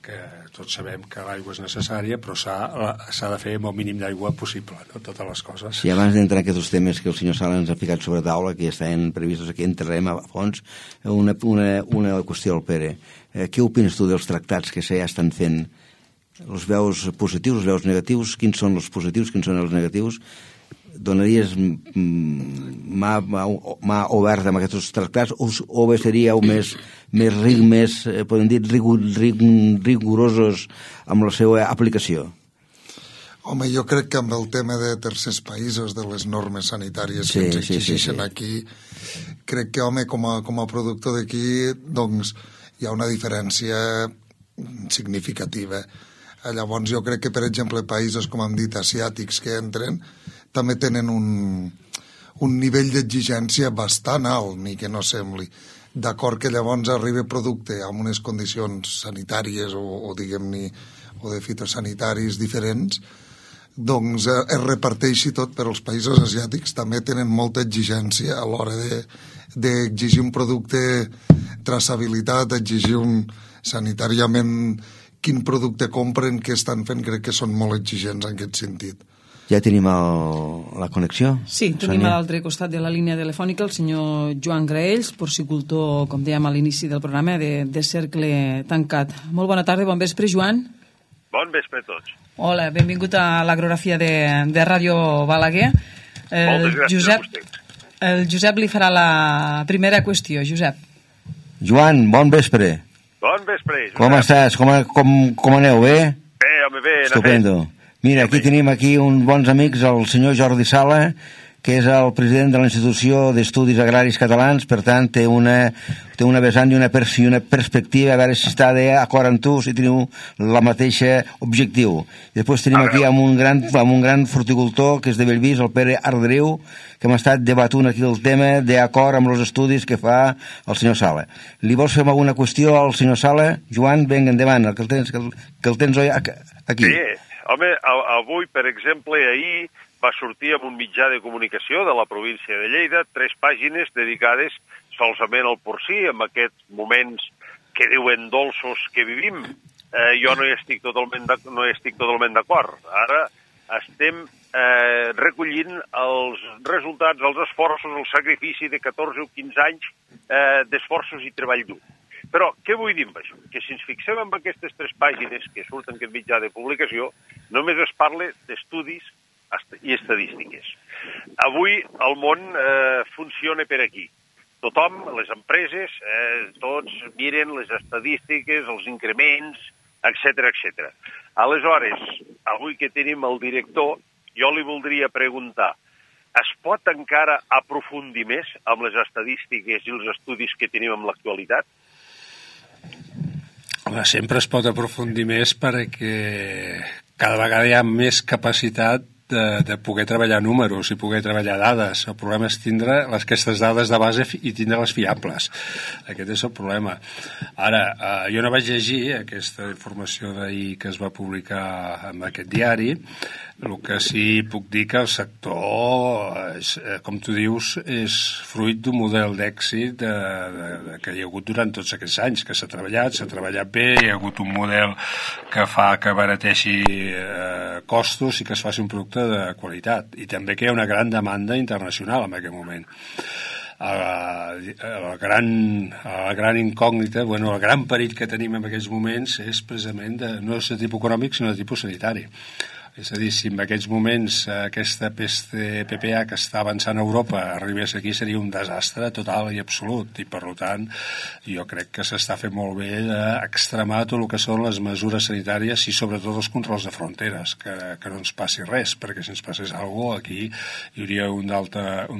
que tots sabem que l'aigua és necessària, però s'ha de fer amb el mínim d'aigua possible, no? Totes les coses. I abans d'entrar en aquests temes que el senyor Sala ens ha ficat sobre taula, que ja estan previstos aquí, entrarem a fons, una, una, una qüestió al Pere. Eh, què opines tu dels tractats que ja estan fent? Els veus positius, els veus negatius? Quins són els positius, quins són els negatius? Donaries mà, mà, mà oberta amb aquests tractats o, o bé seríeu més, més, més podem dir, rigur, rig, rigorosos amb la seva aplicació? Home, jo crec que amb el tema de tercers països, de les normes sanitàries sí, que ens exigeixen sí, sí, sí. aquí, crec que, home, com a, com a productor d'aquí, doncs, hi ha una diferència significativa. Llavors, jo crec que, per exemple, països, com hem dit, asiàtics que entren, també tenen un, un nivell d'exigència bastant alt, ni que no sembli. D'acord que llavors arriba producte amb unes condicions sanitàries o, o diguem-ne, o de fitosanitaris diferents, doncs eh, es reparteixi tot, però els països asiàtics també tenen molta exigència a l'hora d'exigir de, un producte, traçabilitat, exigir un sanitàriament quin producte compren, què estan fent, crec que són molt exigents en aquest sentit. Ja tenim el, la connexió? Sí, tenim Sònia? A l'altre costat de la línia telefònica el senyor Joan Graells, porcicultor, com dèiem a l'inici del programa, de, de Cercle Tancat. Molt bona tarda, bon vespre, Joan. Bon vespre a tots. Hola, benvingut a l'Agrografia de, de Ràdio Balaguer. El Moltes gràcies Josep, a vostè. El Josep li farà la primera qüestió. Josep. Joan, bon vespre. Bon vespre, Josep. Com estàs? Com, com, com aneu, bé? Bé, home, bé. Estupendo. Mira, aquí tenim aquí uns bons amics, el senyor Jordi Sala, que és el president de la Institució d'Estudis Agraris Catalans, per tant té una, té una vessant i una, pers i una perspectiva, a veure si està d'acord amb tu, si teniu la mateixa objectiu. I després tenim aquí amb un gran, amb un gran horticultor que és de Bellvís, el Pere Arderiu, que hem estat debatut aquí el tema d'acord amb els estudis que fa el senyor Sala. Li vols fer alguna qüestió al senyor Sala? Joan, vinga, endavant, que el tens, que el, que el tens aquí. Sí, home, avui, per exemple, ahir va sortir amb un mitjà de comunicació de la província de Lleida tres pàgines dedicades solament al porcí, en aquests moments que diuen dolços que vivim. Eh, jo no hi estic totalment no hi estic totalment d'acord. Ara estem eh, recollint els resultats, els esforços, el sacrifici de catorze o quinze anys eh, d'esforços i treball dur. Però què vull dir amb això? Que si ens fixem en aquestes tres pàgines que surten en aquest mitjà de publicació, només es parla d'estudis i estadístiques. Avui el món eh, funciona per aquí. Tothom, les empreses, eh, tots miren les estadístiques, els increments, etcètera, etcètera. Aleshores, avui que tenim el director, jo li voldria preguntar, es pot encara aprofundir més amb les estadístiques i els estudis que tenim en l'actualitat? Sempre es pot aprofundir més perquè cada vegada hi ha més capacitat De, de poder treballar números i poder treballar dades. El problema és tindre les, aquestes dades de base i tindre-les fiables. Aquest és el problema. Ara, eh, jo no vaig llegir aquesta informació d'ahir que es va publicar en aquest diari. El que sí puc dir que el sector, és, com tu dius, és fruit d'un model d'èxit de, de, de, que hi ha hagut durant tots aquests anys, que s'ha treballat, s'ha treballat bé, hi ha hagut un model que fa que abarateixi eh, costos i que es faci un producte de qualitat. I també que hi ha una gran demanda internacional en aquest moment. La, la, gran, la gran incògnita, bueno, el gran perill que tenim en aquests moments és precisament de, no és de tipus econòmic, sinó de tipus sanitari. És a dir, si en aquests moments aquesta peste P P A que està avançant a Europa arribés aquí seria un desastre total i absolut i per tant jo crec que s'està fent molt bé d'extremar tot el que són les mesures sanitàries i sobretot els controls de fronteres, que, que no ens passi res, perquè si ens passés alguna cosa aquí hi hauria un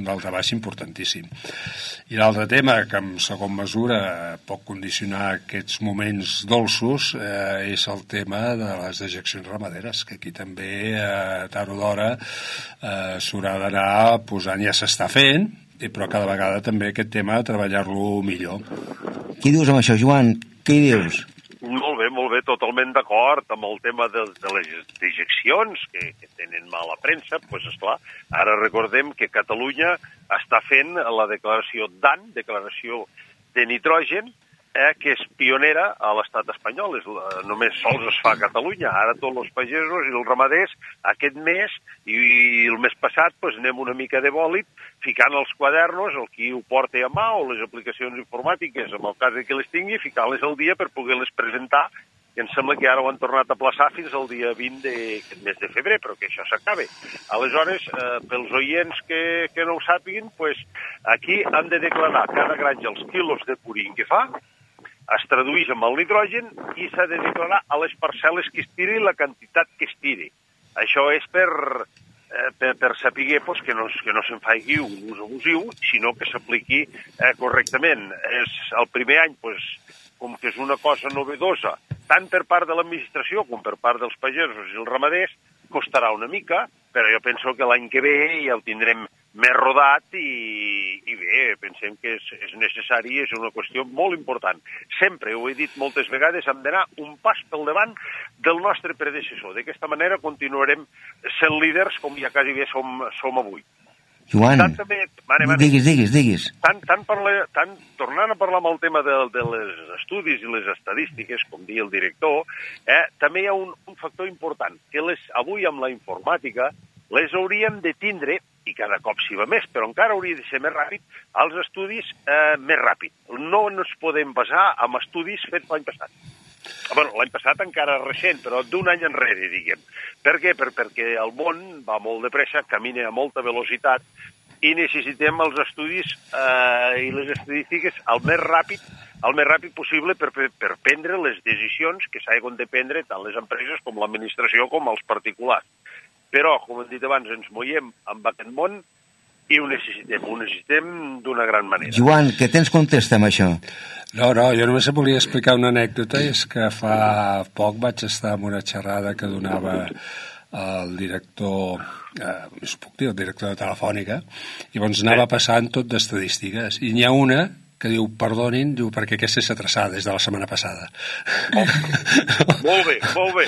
daltabaix importantíssim. I l'altre tema que en segon mesura pot condicionar aquests moments dolços eh, és el tema de les dejeccions ramaderes, que aquí també eh, tard o d'hora eh, s'haurà d'anar posant, ja s'està fent, però cada vegada també aquest tema treballar-lo millor. Què dius amb això, Joan? Què hi dius? Molt bé, molt bé, totalment d'acord amb el tema de, de les dejeccions que, que tenen mala premsa, doncs pues, esclar, ara recordem que Catalunya està fent la declaració D A N, declaració de nitrogen, eh, que és pionera a l'estat espanyol, és, només sols es fa a Catalunya. Ara tots els pagesos i els ramaders aquest mes i, i el mes passat pues, anem una mica de bòlit ficant els quadernos, el qui ho porta a mà o les aplicacions informàtiques, en el cas que les tingui, ficant-les al dia per poder-les presentar, i em sembla que ara ho han tornat a plaçar fins al dia vint d'aquest mes de febrer, però que això s'acabe. Aleshores, eh, pels oients que, que no ho sàpiguen, pues, aquí han de declarar cada granja els quilos de purín que fa, es tradueix amb el nitrogen i s'ha de declarar a les parcel·les que es tiri la quantitat que es tiri. Això és per, eh, per, per saber pues, que no, que no se'n faci un ús abusiu, sinó que s'apliqui eh, correctament. És el primer any, pues, com que és una cosa novedosa, tant per part de l'administració com per part dels pagesos i els ramaders, costarà una mica, però jo penso que l'any que ve ja ho tindrem més rodat i, i bé, pensem que és, és necessari, és una qüestió molt important. Sempre, ho he dit moltes vegades, hem d'anar un pas pel davant del nostre predecessor. D'aquesta manera continuarem sent líders com ja quasi bé som, som avui. Joan, tant, també, mare, mare, diguis, diguis, diguis. Tant, tant, parla, tant tornant a parlar amb el tema de, de les estudis i les estadístiques, com diu el director, eh, també hi ha un, un factor important, que les, avui amb la informàtica les hauríem de tindre, i cada cop s'hi va més, però encara hauria de ser més ràpid, els estudis eh, més ràpid. No ens podem basar en estudis fets l'any passat. Bueno, l'any passat encara recent, però d'un any enrere, diguem. Per què? Per, perquè el món va molt de pressa, camina a molta velocitat i necessitem els estudis eh, i les estadístiques el més ràpid, el més ràpid possible per, per, per prendre les decisions que s'hagin de prendre tant les empreses com l'administració com els particulars. Però, com hem dit abans, ens movem amb aquest món I ho necessitem, ho necessitem d'una gran manera. Joan, què tens contesta amb això? No, no, jo només volia explicar una anècdota, és que fa poc vaig estar en una xerrada que donava el director, eh, us puc dir, el director de Telefònica, i llavors anava passant tot d'estadístiques, i n'hi ha una que diu, perdonin, diu, perquè aquesta és atrasada des de la setmana passada. Oh, molt bé, molt bé.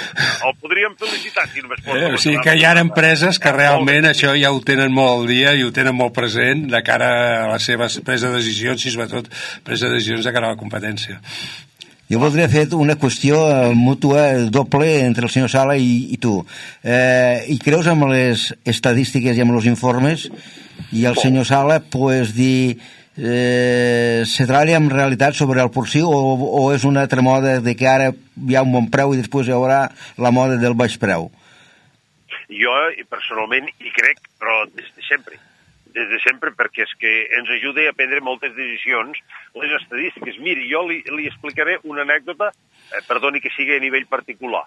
El podríem felicitar, si només pot. Eh, o sigui que hi ha empreses que realment això ja ho tenen molt al dia i ho tenen molt present de cara a les seves presa de decisions i sobretot presa de decisions de cara a la competència. Jo voldria fer una qüestió mútua doble entre el senyor Sala i, i tu. Eh, I creus amb les estadístiques i amb els informes i el senyor Sala pues, dir eh, se treballa en realitat sobre el porcí o, o és una altra moda de que ara hi ha un bon preu i després hi haurà la moda del baix preu? Jo personalment hi crec, però des de sempre. Des de sempre, perquè és que ens ajuda a prendre moltes decisions, les estadístiques. Miri, jo li, li explicaré una anècdota, eh, perdoni que sigui a nivell particular.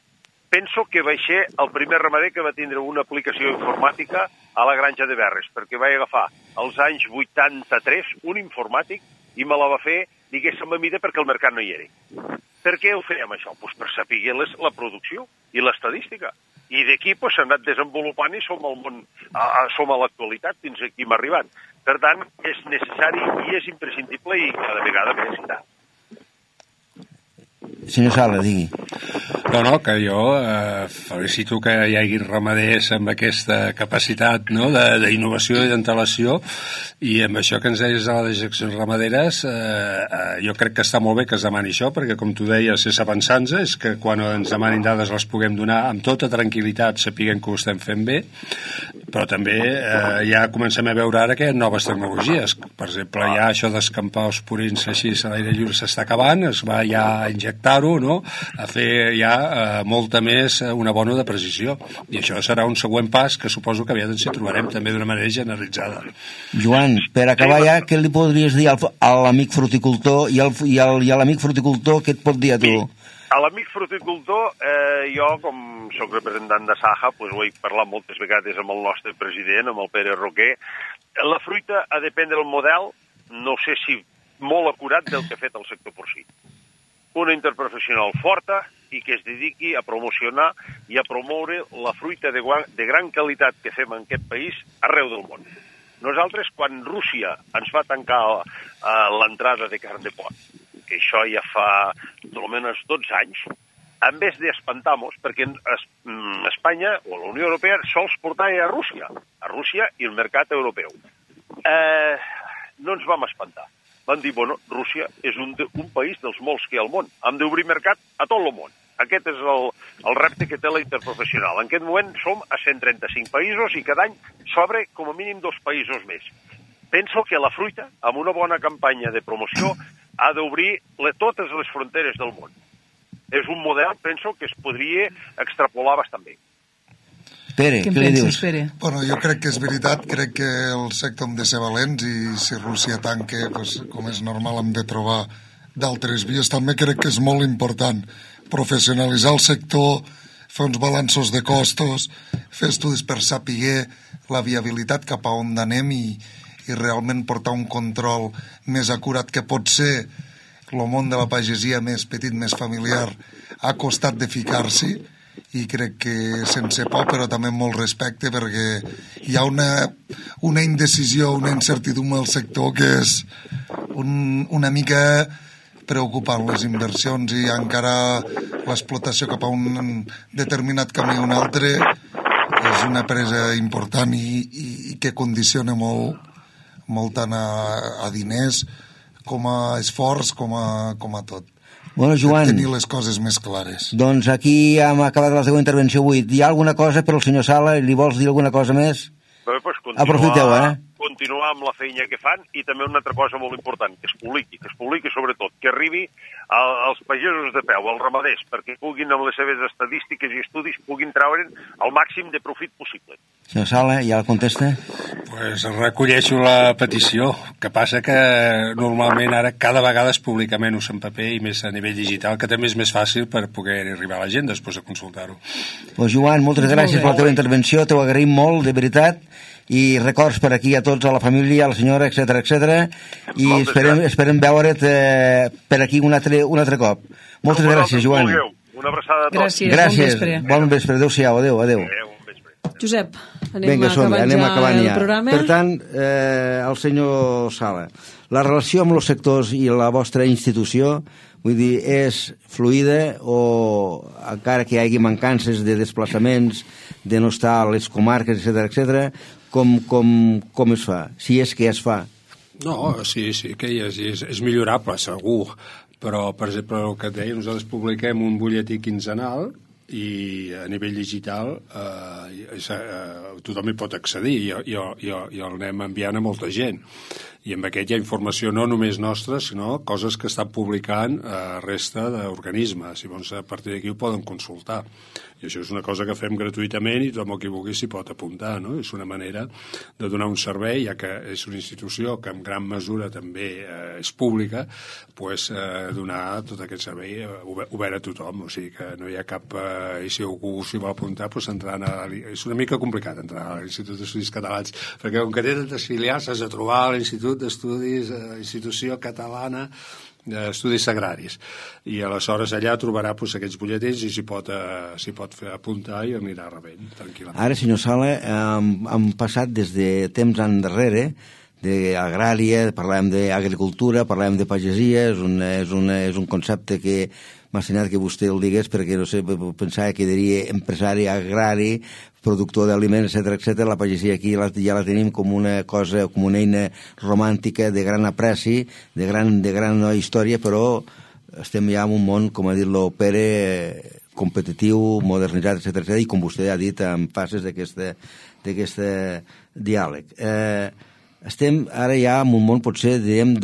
Penso que vaig ser el primer ramader que va tindre una aplicació informàtica a la granja de Verres, perquè vaig agafar als anys vuitanta-tres un informàtic i me la va fer, diguéssim, a mida perquè el mercat no hi era. Per què ho fèiem això? Pues per saber les, la producció i l'estadística. I d'aquí pues, s'ha anat desenvolupant i som, al món, a, a, som a l'actualitat fins aquí hem arribat. Per tant, és necessari i és imprescindible i cada vegada més i tant. Senyor Sala, digui. No, no, que jo eh, felicito que hi hagi ramaders amb aquesta capacitat no, d'innovació i d'antelació i amb això que ens deies de les dejeccions ramaderes eh, eh, jo crec que està molt bé que es demani això perquè com tu deies és avançant-se, és que quan ens demanin dades les puguem donar amb tota tranquil·litat sapiguem que ho estem fent bé, però també eh, ja comencem a veure ara que hi ha noves tecnologies, per exemple ja això d'escampar els purins així a l'aire lliure s'està acabant, es va ja injectar-ho, no? A fer ja eh, molta més eh, una bona de precisió i això serà un següent pas que suposo que aviat ens hi trobarem també d'una manera generalitzada. Joan, per acabar ja, què li podries dir al, a l'amic fruticultor i, al, i, al, i a l'amic fruticultor què et pot dir a tu? Sí. A l'amic fruticultor, eh, jo com soc representant de Saja, pues, ho he parlat moltes vegades amb el nostre president, amb el Pere Roquer. La fruita ha de prendre el model, no sé si molt acurat del que ha fet el sector porcí. Una interprofessional forta i que es dediqui a promocionar i a promoure la fruita de, de gran qualitat que fem en aquest país arreu del món. Nosaltres, quan Rússia ens va tancar uh, l'entrada de carn de porc, que això ja fa almenys dotze anys, en vez d'espantar-nos, perquè Espanya o la Unió Europea sols portava a Rússia, a Rússia i el mercat europeu. Eh, no ens vam espantar. Van dir, bueno, Rússia és un, de, un país dels molts que hi ha al món. Hem d'obrir mercat a tot el món. Aquest és el, el repte que té la interprofessional. En aquest moment som a cent trenta-cinc països i cada any s'obre com a mínim dos països més. Penso que la fruita, amb una bona campanya de promoció, ha d'obrir totes les fronteres del món. És un model, penso, que es podria extrapolar bastant bé. Pere, què, què li dius? Pere? Bueno, jo crec que és veritat, crec que el sector hem de ser valents i si Rússia tanca, pues, com és normal, hem de trobar d'altres vies. També crec que és molt important professionalitzar el sector, fer uns balanços de costos, fer estudis per saber la viabilitat cap a on anem i, i realment portar un control més acurat que pot ser el món de la pagesia més petit, més familiar, ha costat de ficar-s'hi i crec que sense por però també amb molt respecte perquè hi ha una, una indecisió, una incertidumbre al sector que és un, una mica preocupant. Les inversions i encara l'explotació cap a un determinat camí o un altre és una presa important i, i, i que condiciona molt, molt tant a, a diners com a esforç com a, com a tot. Bueno, Joan, tenir les coses més clares. Doncs aquí hem acabat la seva intervenció avui. Hi ha alguna cosa per al senyor Sala? Li vols dir alguna cosa més? Bé, pues continuar, aprofiteu, eh? Continuar amb la feina que fan i també una altra cosa molt important, que es publiqui, que es publiqui sobretot, que arribi a, als pagesos de peu, als ramaders, perquè puguin amb les seves estadístiques i estudis puguin treure'n el màxim de profit possible. Senyor Sala, ja la contesta? Pues Pues recolleixo la petició, que passa que normalment ara cada vegada es publica menys en paper i més a nivell digital, que també és més fàcil per poder arribar a la gent després de consultar-ho. Pues Joan, moltes gràcies per la teva intervenció, t'ho agraïm molt, de veritat, i records per aquí a tots, a la família, a la senyora, etcètera, etcètera, i esperem, esperem veure't eh, per aquí un altre, un altre cop. Moltes Com gràcies, Joan. Vulgueu. Una abraçada a tots. Gràcies, gràcies. Bon vespre. Bon vespre, adéu-siau, adéu, adéu. Adéu, bon vespre. Josep, anem Vinga, som, acabant anem ja acabant el ja. programa. Per tant, eh, el senyor Sala, la relació amb els sectors i la vostra institució, vull dir, és fluida o encara que hi hagi mancances de desplaçaments, de no estar a les comarques, etcètera, etcètera, com, com, com es fa? Si és que es fa. No, sí, sí que hi és, és, és millorable, segur, però, per exemple, el que et deia, nosaltres publiquem un butlletí quinzenal i a nivell digital eh, és, eh, tothom hi pot accedir i, i, i, i el anem enviant a molta gent. I amb aquest hi ha informació no només nostra, sinó coses que estan publicant a resta d'organismes. Llavors, a partir d'aquí ho poden consultar. I això és una cosa que fem gratuïtament i tothom qui vulgui s'hi pot apuntar, no? És una manera de donar un servei, ja que és una institució que en gran mesura també eh, és pública, pues, eh, donar tot aquest servei eh, obert a tothom. O sigui que no hi ha cap... Eh, i si algú s'hi vol apuntar, pues, entrant a... És una mica complicat entrar a l'Institut d'Estudis Catalans, perquè com que té tantes filials, has de trobar a l'Institut d'Estudis, eh, institució catalana d'estudis agraris, i aleshores allà trobarà pues, aquests butlletins i s'hi pot, eh, s'hi pot fer apuntar i anirà rebent tranquil·lament. Ara, senyor Sala, hem, hem passat des de temps endarrere d'agrària, parlem d'agricultura, parlem de pagesia, és un, és un, és un concepte que m'ha assenyat que vostè el digués perquè, no sé, pensava que diria empresari agrari, productor d'aliments, etcètera, etcètera. La pagesia aquí la, ja la tenim com una cosa, com una eina romàntica de gran apreci, de gran, de gran història, però estem ja en un món, com ha dit el Pere, competitiu, modernitzat, etcètera, etcètera, i com vostè ha dit, en fases d'aquest diàleg. Eh, estem ara ja en un món, potser, diguem,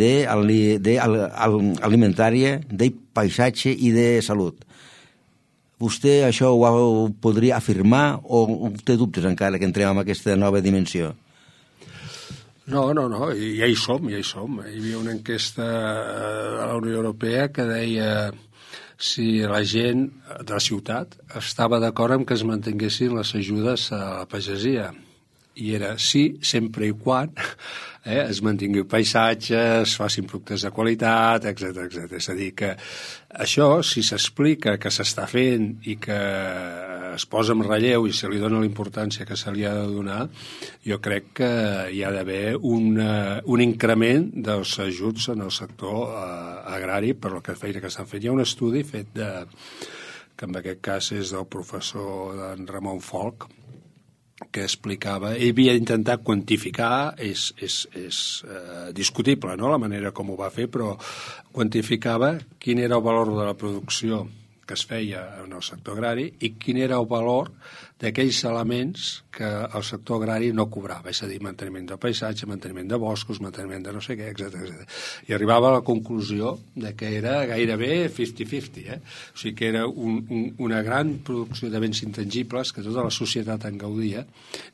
d'alimentària, de paisatge i de salut. Vostè això ho, ho podria afirmar o té dubtes encara que entrem en aquesta nova dimensió? No, no, no, ja hi som, ja hi som. Hi havia una enquesta de la Unió Europea que deia si la gent de la ciutat estava d'acord amb que es mantinguessin les ajudes a la pagesia. I era sí, sempre i quan eh, es mantingui paisatges, es facin productes de qualitat, etcètera, etcètera. És a dir, que això, si s'explica que s'està fent i que es posa en relleu i se li dona la importància que se li ha de donar, jo crec que hi ha d'haver un, un increment dels ajuts en el sector eh, agrari per la feina que estan fent. Hi ha un estudi fet de, que en aquest cas és del professor d'en Ramon Folch, que explicava, ell havia intentat quantificar, és, és, és eh, discutible, no?, la manera com ho va fer, però quantificava quin era el valor de la producció que es feia en el sector agrari i quin era el valor d'aquells elements que el sector agrari no cobrava, és a dir, manteniment del paisatge, manteniment de boscos, manteniment de no sé què, etcètera, etcètera. I arribava a la conclusió de que era gairebé cinquanta cinquanta, eh? O sigui que era un, un, una gran producció de béns intangibles que tota la societat en gaudia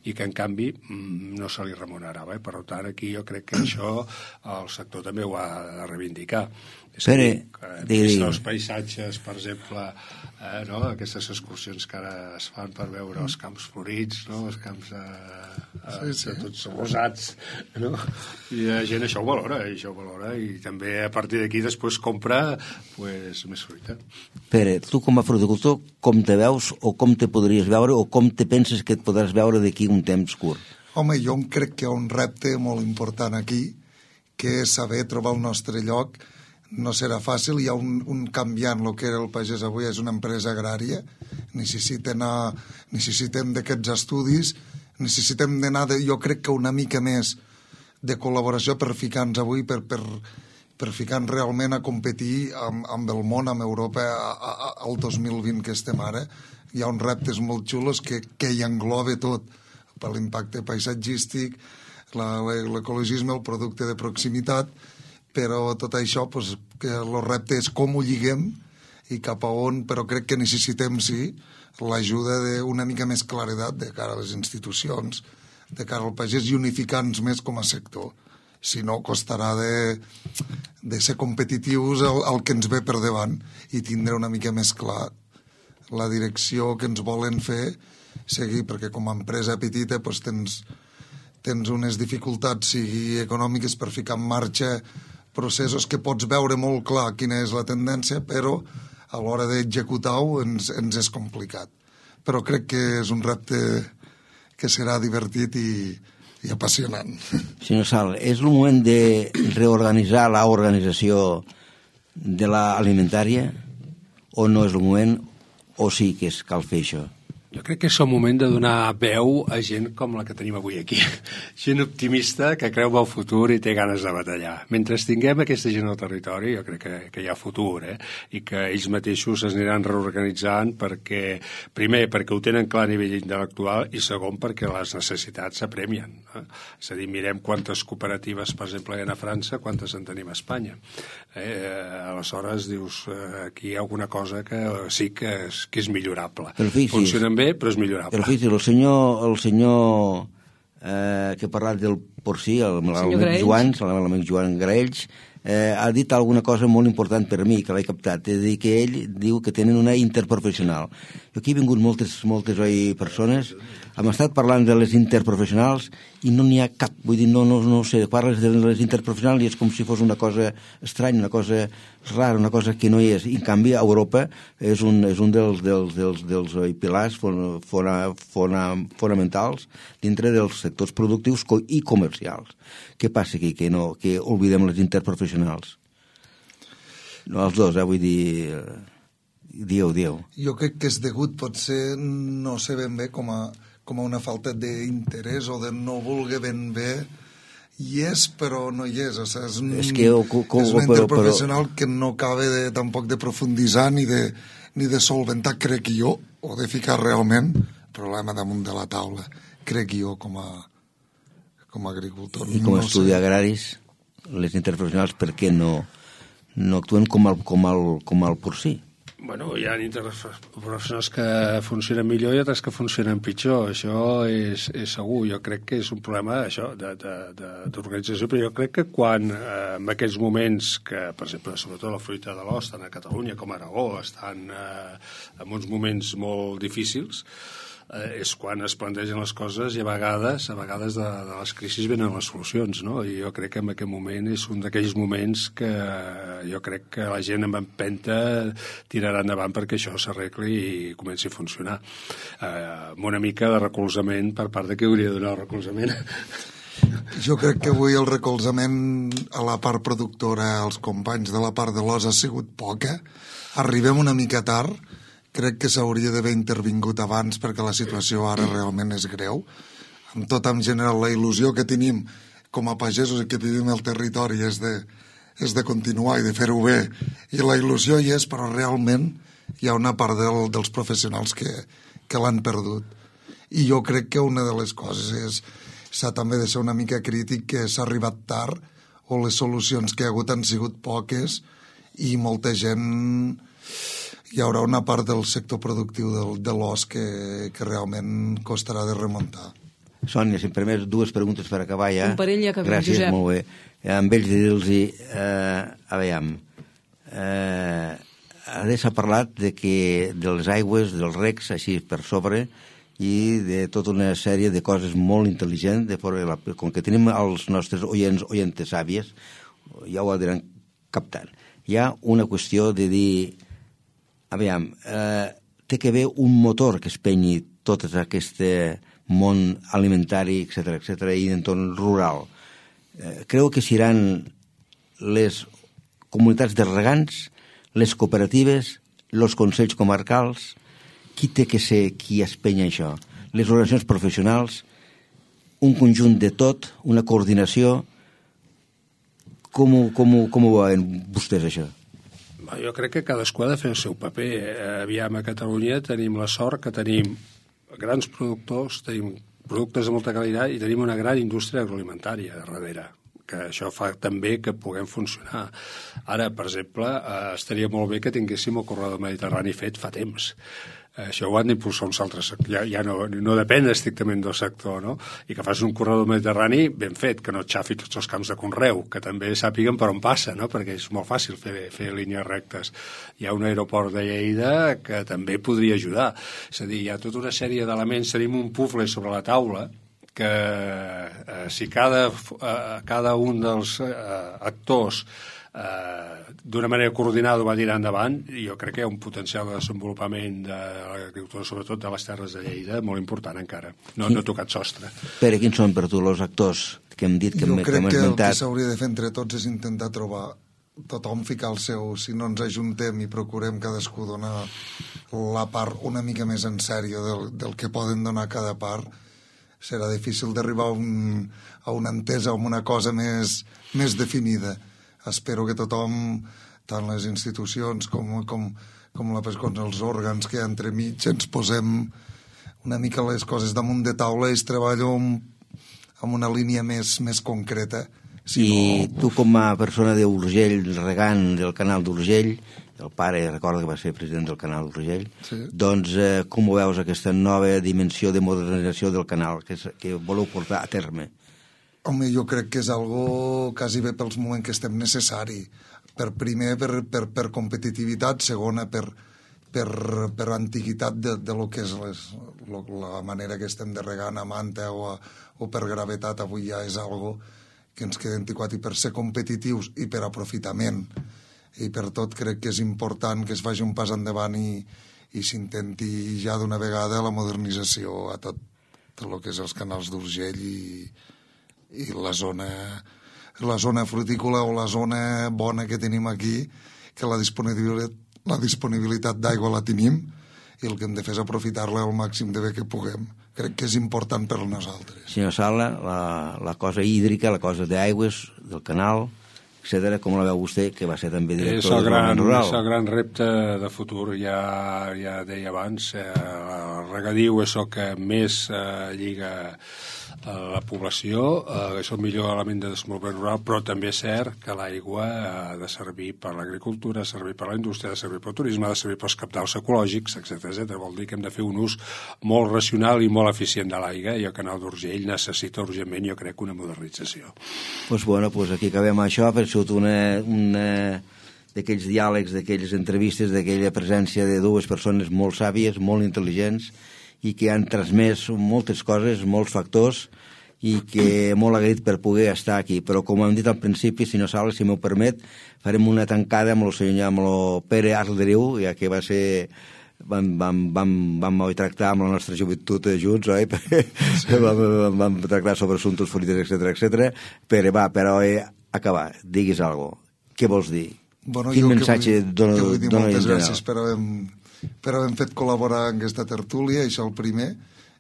i que, en canvi, no se li remunerava. Eh? Per tant, aquí jo crec que això el sector també ho ha de reivindicar. Pere, digui, digui. Els paisatges, per exemple, eh, no? Aquestes excursions que ara es fan per veure els camps florits, no? Els camps eh, eh, sí, sí. tots rosats, no? I la gent això ho valora, i això ho valora, i també a partir d'aquí després compra pues, més fruita. Pere, tu com a fruticultor, com te veus o com te podries veure o com te penses que et podràs veure d'aquí un temps curt? Home, jo crec que hi ha un repte molt important aquí, que és saber trobar el nostre lloc. No serà fàcil, hi ha un, un canviant, el que era el pagès avui és una empresa agrària, necessiten, a, necessitem d'aquests estudis, necessitem d'anar, de, jo crec que una mica més de col·laboració per ficar-nos avui, per, per, per ficar-nos realment a competir amb, amb el món, amb Europa, a, a, al dos mil vint que estem ara. Hi ha uns reptes molt xulos que, que hi engloba tot, per l'impacte paisatgístic, l'ecologisme, el producte de proximitat, però tot això, pues, que el repte és com ho lliguem i cap a on, però crec que necessitem, sí, l'ajuda d'una mica més claredat de cara a les institucions, de cara al pagès i unificar-nos més com a sector. Si no, costarà de, de ser competitius el, el que ens ve per davant i tindre una mica més clar la direcció que ens volen fer seguir, perquè com a empresa petita doncs tens, tens unes dificultats, sigui econòmiques, per ficar en marxa processos que pots veure molt clar quina és la tendència, però a l'hora d'executar-ho ens, ens és complicat. Però crec que és un repte que serà divertit i, i apassionant. Senyor Sal, és el moment de reorganitzar l'organització de l'alimentària o no és el moment, o sí que és, cal fer això? Jo crec que és el moment de donar veu a gent com la que tenim avui aquí. Gent optimista que creu en el futur i té ganes de batallar. Mentre tinguem aquesta gent al territori, jo crec que, que hi ha futur, eh? I que ells mateixos es aniran reorganitzant perquè, primer, perquè ho tenen clar a nivell intel·lectual i segon, perquè les necessitats s'apremien. Eh? És a dir, mirem quantes cooperatives, per exemple, hi ha a França, quantes en tenim a Espanya. Eh? Aleshores, dius, eh, aquí hi ha alguna cosa que sí que és, que és millorable. Funcionen bé, però és millorable. Però fixi, el senyor, el senyor eh, que ha parlat del porcí, l'amic Joan, l'amic Joan Graells, eh, ha dit alguna cosa molt important per mi, que l'he captat, és dir, que ell diu que tenen una interprofessional. Jo aquí he vingut moltes, moltes oi, persones, hem estat parlant de les interprofessionals i no n'hi ha cap, vull dir, no, no, no sé, parles de les interprofessionals i és com si fos una cosa estranya, una cosa rara, una cosa que no hi és. I en canvi, a Europa és un, és un dels, dels, dels, dels oi, pilars fona, fona, fona, fonamentals dintre dels sectors productius i comercials. Què passa aquí? Que, no, que oblidem les interprofessionals? No, els dos, eh, vull dir... Dieu, dieu. Jo crec que és degut, potser, no sé ben bé, com a, com a una falta d'interès o de no voler ben bé. Hi és, però no hi és. O sigui, és, un, és, que, o, com, és una però, interprofessional però... que no acaba de, tampoc de profunditzar ni de, ni de solventar, crec jo, o de ficar realment problema damunt de la taula. Crec jo, com a, com a agricultor. I com a no estudi sé. agraris, les interprofessionals, per què no, no actuen com el, com el, com el porcí? Bueno, hi ha interprofessionals que funcionen millor i altres que funcionen pitjor. Això és, és segur. Jo crec que és un problema això d'organització, però jo crec que quan eh, en aquests moments que, per exemple, sobretot la fruita de l'os, tant a Catalunya com a Aragó, estan eh, en uns moments molt difícils, eh, és quan es plantegen les coses i a vegades, a vegades de, de les crisis venen les solucions, no? I jo crec que en aquest moment és un d'aquells moments que jo crec que la gent amb empenta tirarà endavant perquè això s'arregli i comenci a funcionar. Eh, amb una mica de recolzament per part de qui hauria de donar el recolzament. Jo crec que avui el recolzament a la part productora, als companys de la part de l'os, ha sigut poca. Arribem una mica tard. Crec que s'hauria d'haver intervingut abans perquè la situació ara realment és greu. Amb tot, en general, la il·lusió que tenim com a pagesos i que vivim al territori és de, és de continuar i de fer-ho bé. I la il·lusió hi és, però realment hi ha una part del, dels professionals que, que l'han perdut. I jo crec que una de les coses és s'ha també de ser una mica crític, que s'ha arribat tard o les solucions que hi ha hagut han sigut poques i molta gent... Hi haurà una part del sector productiu del, de l'os que, que realment costarà de remuntar. Sònia, si em permets dues preguntes per acabar ja. Un parell ja acabem, Gràcies, Josep. molt bé. Eh, amb ells de dir-los, eh, a veure, eh, ara s'ha parlat de, que, de les aigües, dels recs, així per sobre, i de tota una sèrie de coses molt intel·ligents, de forma, com que tenim els nostres oients, oientes àvies, ja ho aniran captant. Hi ha una qüestió de dir... Aviam, eh, té que haver un motor que espenyi tot aquest món alimentari, etcètera, etcètera, i d'entorn rural. Eh, creu que seran les comunitats de regants, les cooperatives, els consells comarcals, qui té que ser qui espenya això? Les organitzacions professionals, un conjunt de tot, una coordinació. Com, com, com ho veuen vostès, això? Jo crec que cadascú ha de fer el seu paper. Aviam, a Catalunya tenim la sort que tenim grans productors, tenim productes de molta qualitat i tenim una gran indústria agroalimentària darrere, que això fa també que puguem funcionar. Ara, per exemple, eh, estaria molt bé que tinguéssim el corredor mediterrani fet fa temps. això ho han d'impulsar uns altres sectors, ja, ja no, no depèn estrictament del sector, no? I que fas un corredor mediterrani ben fet, que no et xafi tots els camps de conreu, que també sàpiguen per on passa, no? Perquè és molt fàcil fer, fer línies rectes. Hi ha un aeroport de Lleida que també podria ajudar. És a dir, hi ha tota una sèrie d'elements, tenim un pufle sobre la taula, que eh, si cada, eh, cada un dels eh, actors eh, d'una manera coordinada va tirar endavant, jo crec que hi ha un potencial de desenvolupament de l'agricultura, sobretot de les terres de Lleida, molt important encara. No, no ha tocat sostre. Pere, quins són per tu els actors que hem dit, que jo hem, crec que hem que esmentat? el que s'hauria de fer entre tots és intentar trobar tothom ficar el seu, si no ens ajuntem i procurem cadascú donar la part una mica més en sèrio del, del que poden donar cada part, serà difícil d'arribar a, un, a una entesa, a una cosa més, més definida. Espero que tothom, tant les institucions com, com, com, la, com els òrgans que hi ha entremig, ens posem una mica les coses damunt de taula i es treballa amb, amb una línia més, més concreta. Si I no... tu, com a persona d'Urgell, regant del canal d'Urgell, el pare, recorda que va ser president del canal d'Urgell, sí. Doncs eh, com ho veus, aquesta nova dimensió de modernització del canal que, que voleu portar a terme? Home, jo crec que és algo quasi bé pels moments que estem necessari. Per primer, per, per, per competitivitat, segona, per, per, per antiguitat de, de lo que és les, lo, la manera que estem de regant a manta o, a, o per gravetat, avui ja és algo que ens queda antiquat, i per ser competitius i per aprofitament i per tot crec que és important que es faci un pas endavant i, i s'intenti ja d'una vegada la modernització a tot, tot el que és els canals d'Urgell i, i la zona la zona frutícola o la zona bona que tenim aquí, que la disponibilitat, la disponibilitat d'aigua la tenim i el que hem de fer és aprofitar-la al màxim de bé que puguem. Crec que és important per a nosaltres. Senyor Sala, la, la cosa hídrica, la cosa d'aigües, del canal, etcètera, com la veu vostè, que va ser també director del Desenvolupament Rural? És el gran repte de futur, ja, ja deia abans, eh, el regadiu és el que més eh, lliga a la població, eh, és el millor element de desenvolupament rural, però també és cert que l'aigua ha de servir per l'agricultura, ha de servir per la indústria, ha de servir pel turisme, ha de servir pels cabals ecològics, etcètera, etcètera. Vol dir que hem de fer un ús molt racional i molt eficient de l'aigua, i el canal d'Urgell necessita urgentment, jo crec, una modernització. Doncs pues bueno, pues aquí acabem això, per sota una, una d'aquells diàlegs, d'aquelles entrevistes, d'aquella presència de dues persones molt sàvies, molt intel·ligents, i que han transmès moltes coses, molts factors, i que molt agraït per poder estar aquí. Però, com hem dit al principi, senyor Sala, si m'ho permet, farem una tancada amb el senyor, amb el Pere Arderiu, ja que va ser... Vam, vam, vam, vam tractar amb la nostra joventut junts, oi? Sí. vam, vam tractar sobre assumptes polítics, etcètera, etcètera. Pere, va, però eh, acabar, diguis alguna cosa. Què vols dir? Bueno, Quin missatge vull, dona, vull dir dona moltes gràcies per haver, per haver fet col·laborar en aquesta tertúlia, això el primer,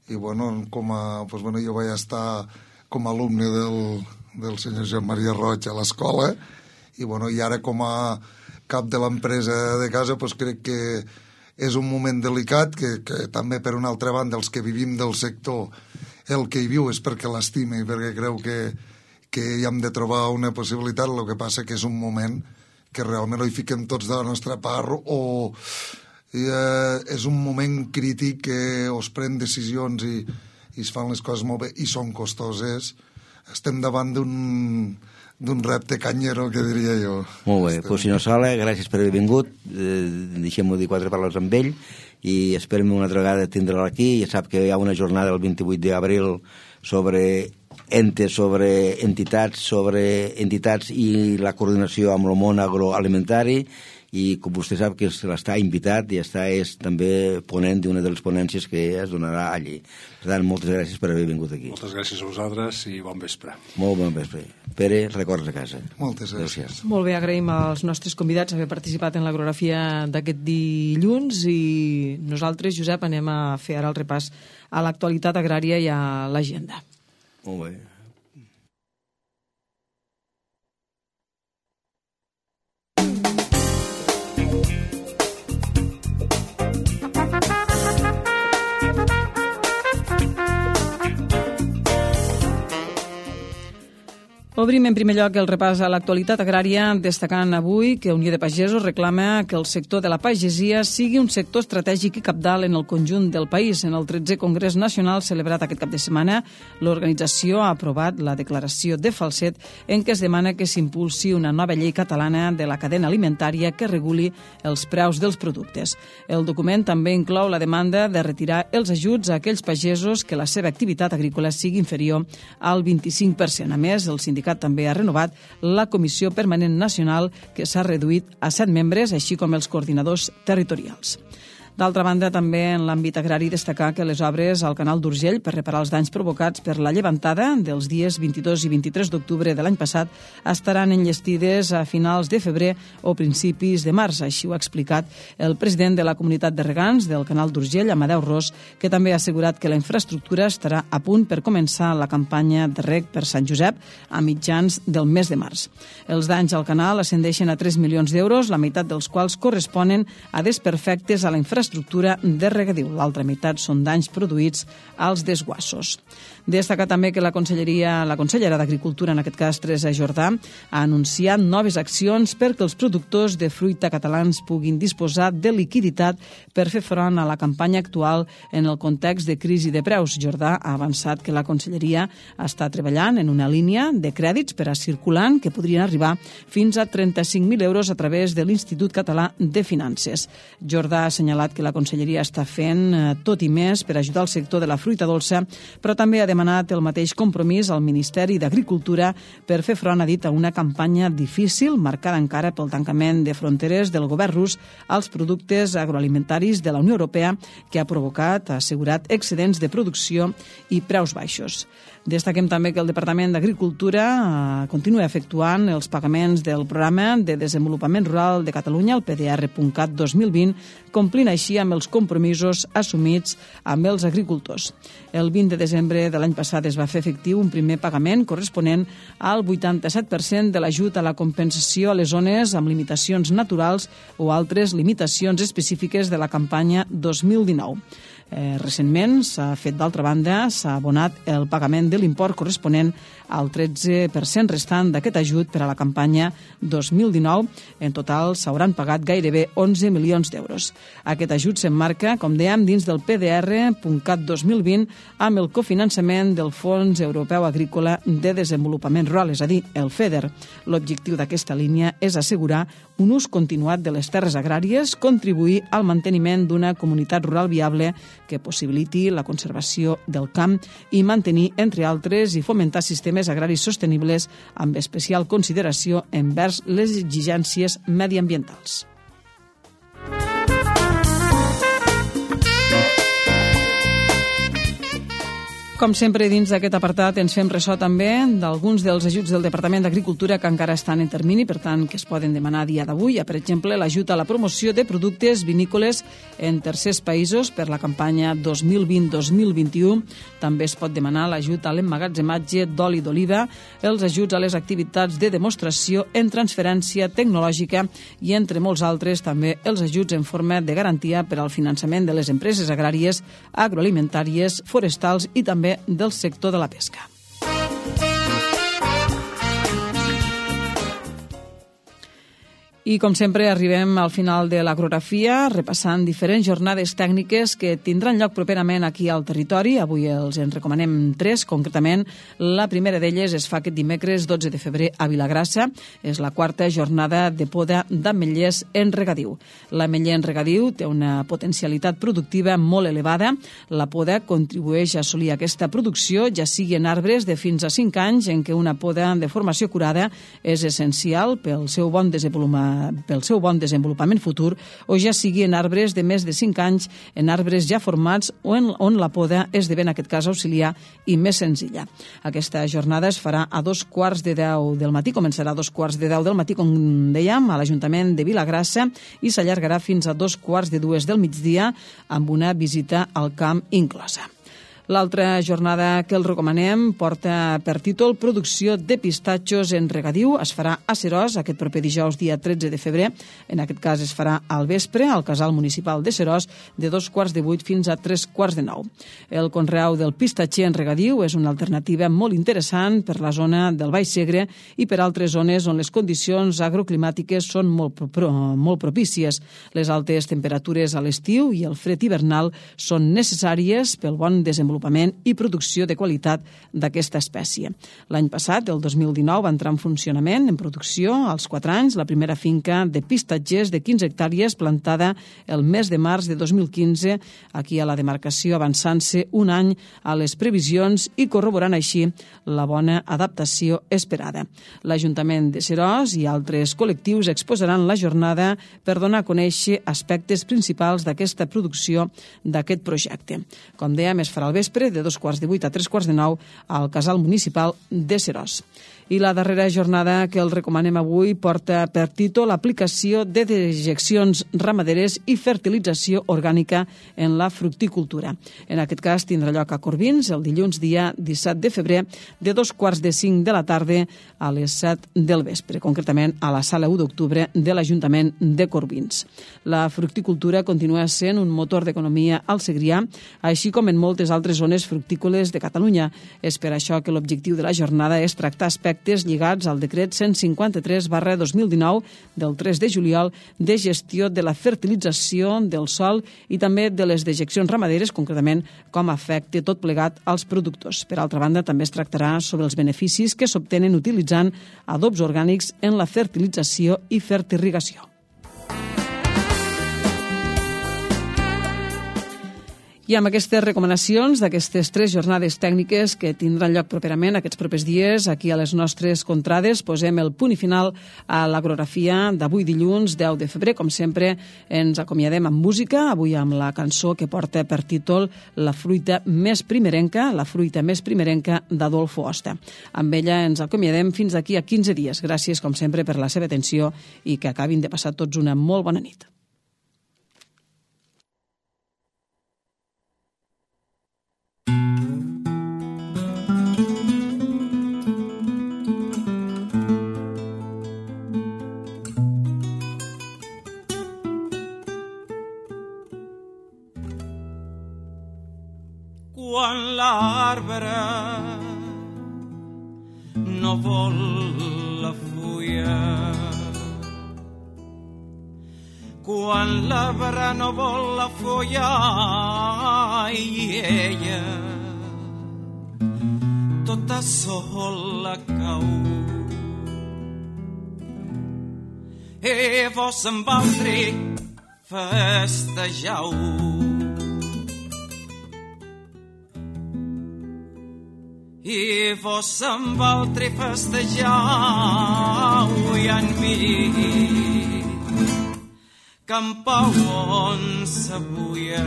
i bueno, com a, doncs, bueno, jo vaig estar com a alumne del, del senyor Joan Maria Roig a l'escola, i bueno, i ara com a cap de l'empresa de casa, doncs crec que és un moment delicat, que, que també per una altra banda els que vivim del sector, el que hi viu és perquè l'estima i perquè creu que, que hi hem de trobar una possibilitat, el que passa que és un moment que realment no hi fiquem tots de la nostra part, o eh, és un moment crític que es pren decisions i, i es fan les coses molt bé i són costoses. Estem davant d'un d'un repte canyero, que diria jo. Molt bé, doncs senyor Sala, gràcies per haver vingut, eh, deixem-ho dir quatre paraules amb ell, i esperem una altra vegada tindre-la aquí. Ja sap que hi ha una jornada el vint-i-vuit d'abril sobre entes, sobre entitats, sobre entitats i la coordinació amb el món agroalimentari, i com vostè sap que està invitat i està és també ponent d'una de les ponències que es donarà allí. Per tant, moltes gràcies per haver vingut aquí. Moltes gràcies a vosaltres i bon vespre. Molt bon vespre. Pere, records a casa. Moltes gràcies. Molt bé, agraïm als nostres convidats haver participat en l'agrografia d'aquest dilluns, i nosaltres, Josep, anem a fer ara el repàs a l'actualitat agrària i a l'agenda. Molt bé. Obrim en primer lloc el repàs a l'actualitat agrària, destacant avui que Unió de Pagesos reclama que el sector de la pagesia sigui un sector estratègic i cabdal en el conjunt del país. En el tretzè Congrés Nacional celebrat aquest cap de setmana, l'organització ha aprovat la declaració de Falset en què es demana que s'impulsi una nova llei catalana de la cadena alimentària que reguli els preus dels productes. El document també inclou la demanda de retirar els ajuts a aquells pagesos que la seva activitat agrícola sigui inferior al vint-i-cinc per cent. A més, el sindicat també ha renovat la Comissió Permanent Nacional, que s'ha reduït a set membres, així com els coordinadors territorials. D'altra banda, també en l'àmbit agrari destacar que les obres al canal d'Urgell per reparar els danys provocats per la llevantada dels dies vint-i-dos i vint-i-tres d'octubre de l'any passat estaran enllestides a finals de febrer o principis de març. Així ho ha explicat el president de la comunitat de regants del canal d'Urgell, Amadeu Ros, que també ha assegurat que la infraestructura estarà a punt per començar la campanya de reg per Sant Josep a mitjans del mes de març. Els danys al canal ascendeixen a tres milions d'euros, la meitat dels quals corresponen a desperfectes a la infraestructura estructura de regadiu. L'altra meitat són danys produïts als desguassos. Destacar també que la Conselleria, la consellera d'Agricultura, en aquest cas Teresa Jordà, ha anunciat noves accions perquè els productors de fruita catalans puguin disposar de liquiditat per fer front a la campanya actual en el context de crisi de preus. Jordà ha avançat que la Conselleria està treballant en una línia de crèdits per a circulant que podrien arribar fins a trenta-cinc mil euros a través de l'Institut Català de Finances. Jordà ha assenyalat que la Conselleria està fent tot i més per ajudar el sector de la fruita dolça, però també ha demanat el mateix compromís al Ministeri d'Agricultura per fer front, ha dit, a una campanya difícil, marcada encara pel tancament de fronteres del govern rus als productes agroalimentaris de la Unió Europea, que ha provocat, ha assegurat, excedents de producció i preus baixos. Destaquem també que el Departament d'Agricultura eh, continua efectuant els pagaments del Programa de Desenvolupament Rural de Catalunya, el P D R punt cat dos mil vint, complint així amb els compromisos assumits amb els agricultors. El vint de desembre de l'any passat es va fer efectiu un primer pagament corresponent al vuitanta-set per cent de l'ajut a la compensació a les zones amb limitacions naturals o altres limitacions específiques de la campanya dos mil dinou. Eh, recentment s'ha fet, d'altra banda, s'ha abonat el pagament de l'import corresponent al tretze per cent restant d'aquest ajut per a la campanya dos mil dinou. En total s'hauran pagat gairebé onze milions d'euros. Aquest ajut s'emmarca, com dèiem, dins del P D R punt cat dos mil vint amb el cofinançament del Fons Europeu Agrícola de Desenvolupament Rural, és a dir, el FEDER. L'objectiu d'aquesta línia és assegurar un ús continuat de les terres agràries, contribuir al manteniment d'una comunitat rural viable que possibiliti la conservació del camp i mantenir, entre altres, i fomentar sistemes agraris sostenibles amb especial consideració envers les exigències mediambientals. Com sempre, dins d'aquest apartat ens fem ressò també d'alguns dels ajuts del Departament d'Agricultura que encara estan en termini, per tant, que es poden demanar a dia d'avui. Per exemple, l'ajut a la promoció de productes vinícoles en tercers països per la campanya dos mil vint dos mil vint-i-u. També es pot demanar l'ajut a l'emmagatzematge d'oli d'oliva, els ajuts a les activitats de demostració en transferència tecnològica i, entre molts altres, també els ajuts en forma de garantia per al finançament de les empreses agràries, agroalimentàries, forestals i també del sector de la pesca. I, com sempre, arribem al final de l'agrografia, repassant diferents jornades tècniques que tindran lloc properament aquí al territori. Avui els en recomanem tres, concretament. La primera d'elles es fa aquest dimecres dotze de febrer a Vilagrassa. És la quarta jornada de poda d'ametllers en regadiu. L'ametller en regadiu té una potencialitat productiva molt elevada. La poda contribueix a assolir aquesta producció, ja sigui en arbres de fins a cinc anys, en què una poda de formació curada és essencial pel seu bon desenvolupament pel seu bon desenvolupament futur, o ja sigui en arbres de més de cinc anys, en arbres ja formats o en, on la poda esdevé, en aquest cas, auxiliar i més senzilla. Aquesta jornada es farà a dos quarts de deu del matí, començarà a dos quarts de deu del matí, com dèiem, a l'Ajuntament de Vilagrassa, i s'allargarà fins a dos quarts de dues del migdia amb una visita al camp inclosa. L'altra jornada que el recomanem porta per títol Producció de pistatxos en regadiu. Es farà a Seròs aquest proper dijous, dia tretze de febrer. En aquest cas es farà al vespre al Casal Municipal de Seròs de dos quarts de vuit fins a tres quarts de nou. El conreu del pistatxer en regadiu és una alternativa molt interessant per la zona del Baix Segre i per altres zones on les condicions agroclimàtiques són molt, pro, molt propícies. Les altes temperatures a l'estiu i el fred hivernal són necessàries pel bon desenvolupament i producció de qualitat d'aquesta espècie. L'any passat, el dos mil dinou, va entrar en funcionament, en producció, als quatre anys, la primera finca de pistatgers de quinze hectàrees plantada el mes de març de dos mil quinze, aquí a la demarcació, avançant-se un any a les previsions i corroborant així la bona adaptació esperada. L'Ajuntament de Seròs i altres col·lectius exposaran la jornada per donar a conèixer aspectes principals d'aquesta producció d'aquest projecte. Com dèiem, es farà al vespre de dos quarts de vuit a tres quarts de nou al Casal Municipal de Seròs. I la darrera jornada que el recomanem avui porta per títol Aplicació de dejeccions ramaderes i fertilització orgànica en la fructicultura. En aquest cas tindrà lloc a Corbins el dilluns dia disset de febrer de dos quarts de cinc de la tarda a les set del vespre, concretament a la sala u d'octubre de l'Ajuntament de Corbins. La fructicultura continua sent un motor d'economia al Segrià, així com en moltes altres zones fructícoles de Catalunya. És per això que l'objectiu de la jornada és tractar aspectes lligats al decret cent cinquanta-tres barra dos mil dinou del tres de juliol de gestió de la fertilització del sòl i també de les dejeccions ramaderes, concretament com afecta tot plegat als productors. Per altra banda, també es tractarà sobre els beneficis que s'obtenen utilitzant adobs orgànics en la fertilització i fertirrigació. I amb aquestes recomanacions d'aquestes tres jornades tècniques que tindran lloc properament aquests propers dies aquí a les nostres contrades, posem el punt i final a l'agrografia d'avui dilluns deu de febrer. Com sempre, ens acomiadem amb música, avui amb la cançó que porta per títol La fruita més primerenca, la fruita més primerenca d'Adolfo Osta. Amb ella ens acomiadem fins d'aquí a quinze dies. Gràcies, com sempre, per la seva atenció i que acabin de passar tots una molt bona nit. Quan l'arbre no vol la fulla, quan l'arbre no vol la fulla i ella tota sola cau, e vos amb altre festejau. I vos amb altre festejau i en mi campau on s'abuia.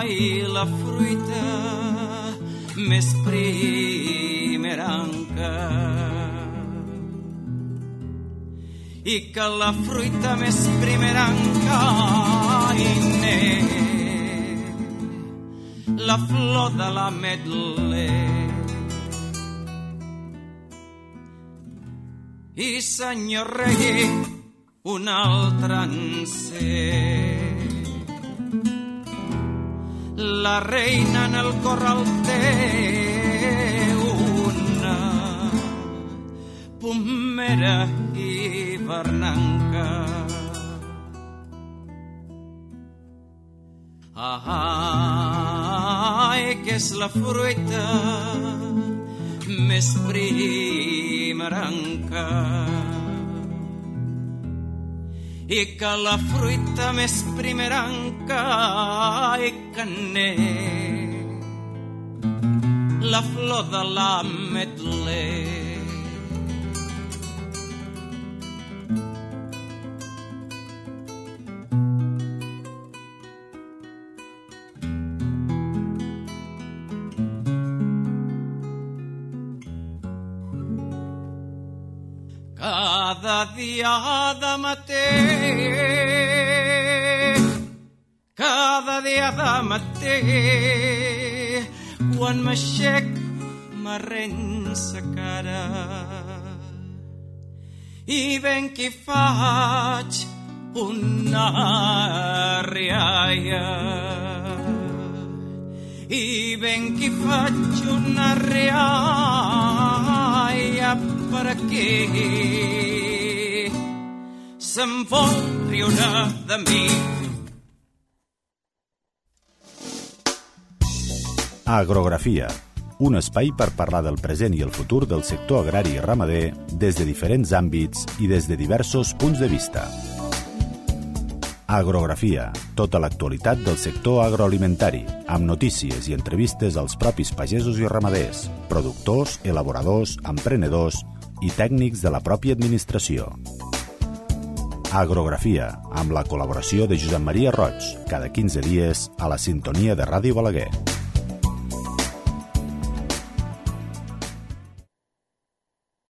Ai, la fruita més primerenca, i que la fruita més primerenca i n'és la flor de l'ametler. I senyor rei, un altre encén, la reina en el corral té una pomera hivernanca. Ai, que és la fruita més primerenca, i que la fruita més primerenca i que n'és la flor de l'ametler. cada dia de matí, cada dia de matí, quan m'aixec m'arrensa cara i ben que faig una rialla i ben que faig una rialla perquè se'n vol riure de mi. Agrografia, un espai per parlar del present i el futur del sector agrari i ramader des de diferents àmbits i des de diversos punts de vista. Agrografia, tota l'actualitat del sector agroalimentari, amb notícies i entrevistes als propis pagesos i ramaders, productors, elaboradors, emprenedors i tècnics de la pròpia administració. Agrografia, amb la col·laboració de Josep Maria Roig, cada quinze dies a la sintonia de Ràdio Balaguer.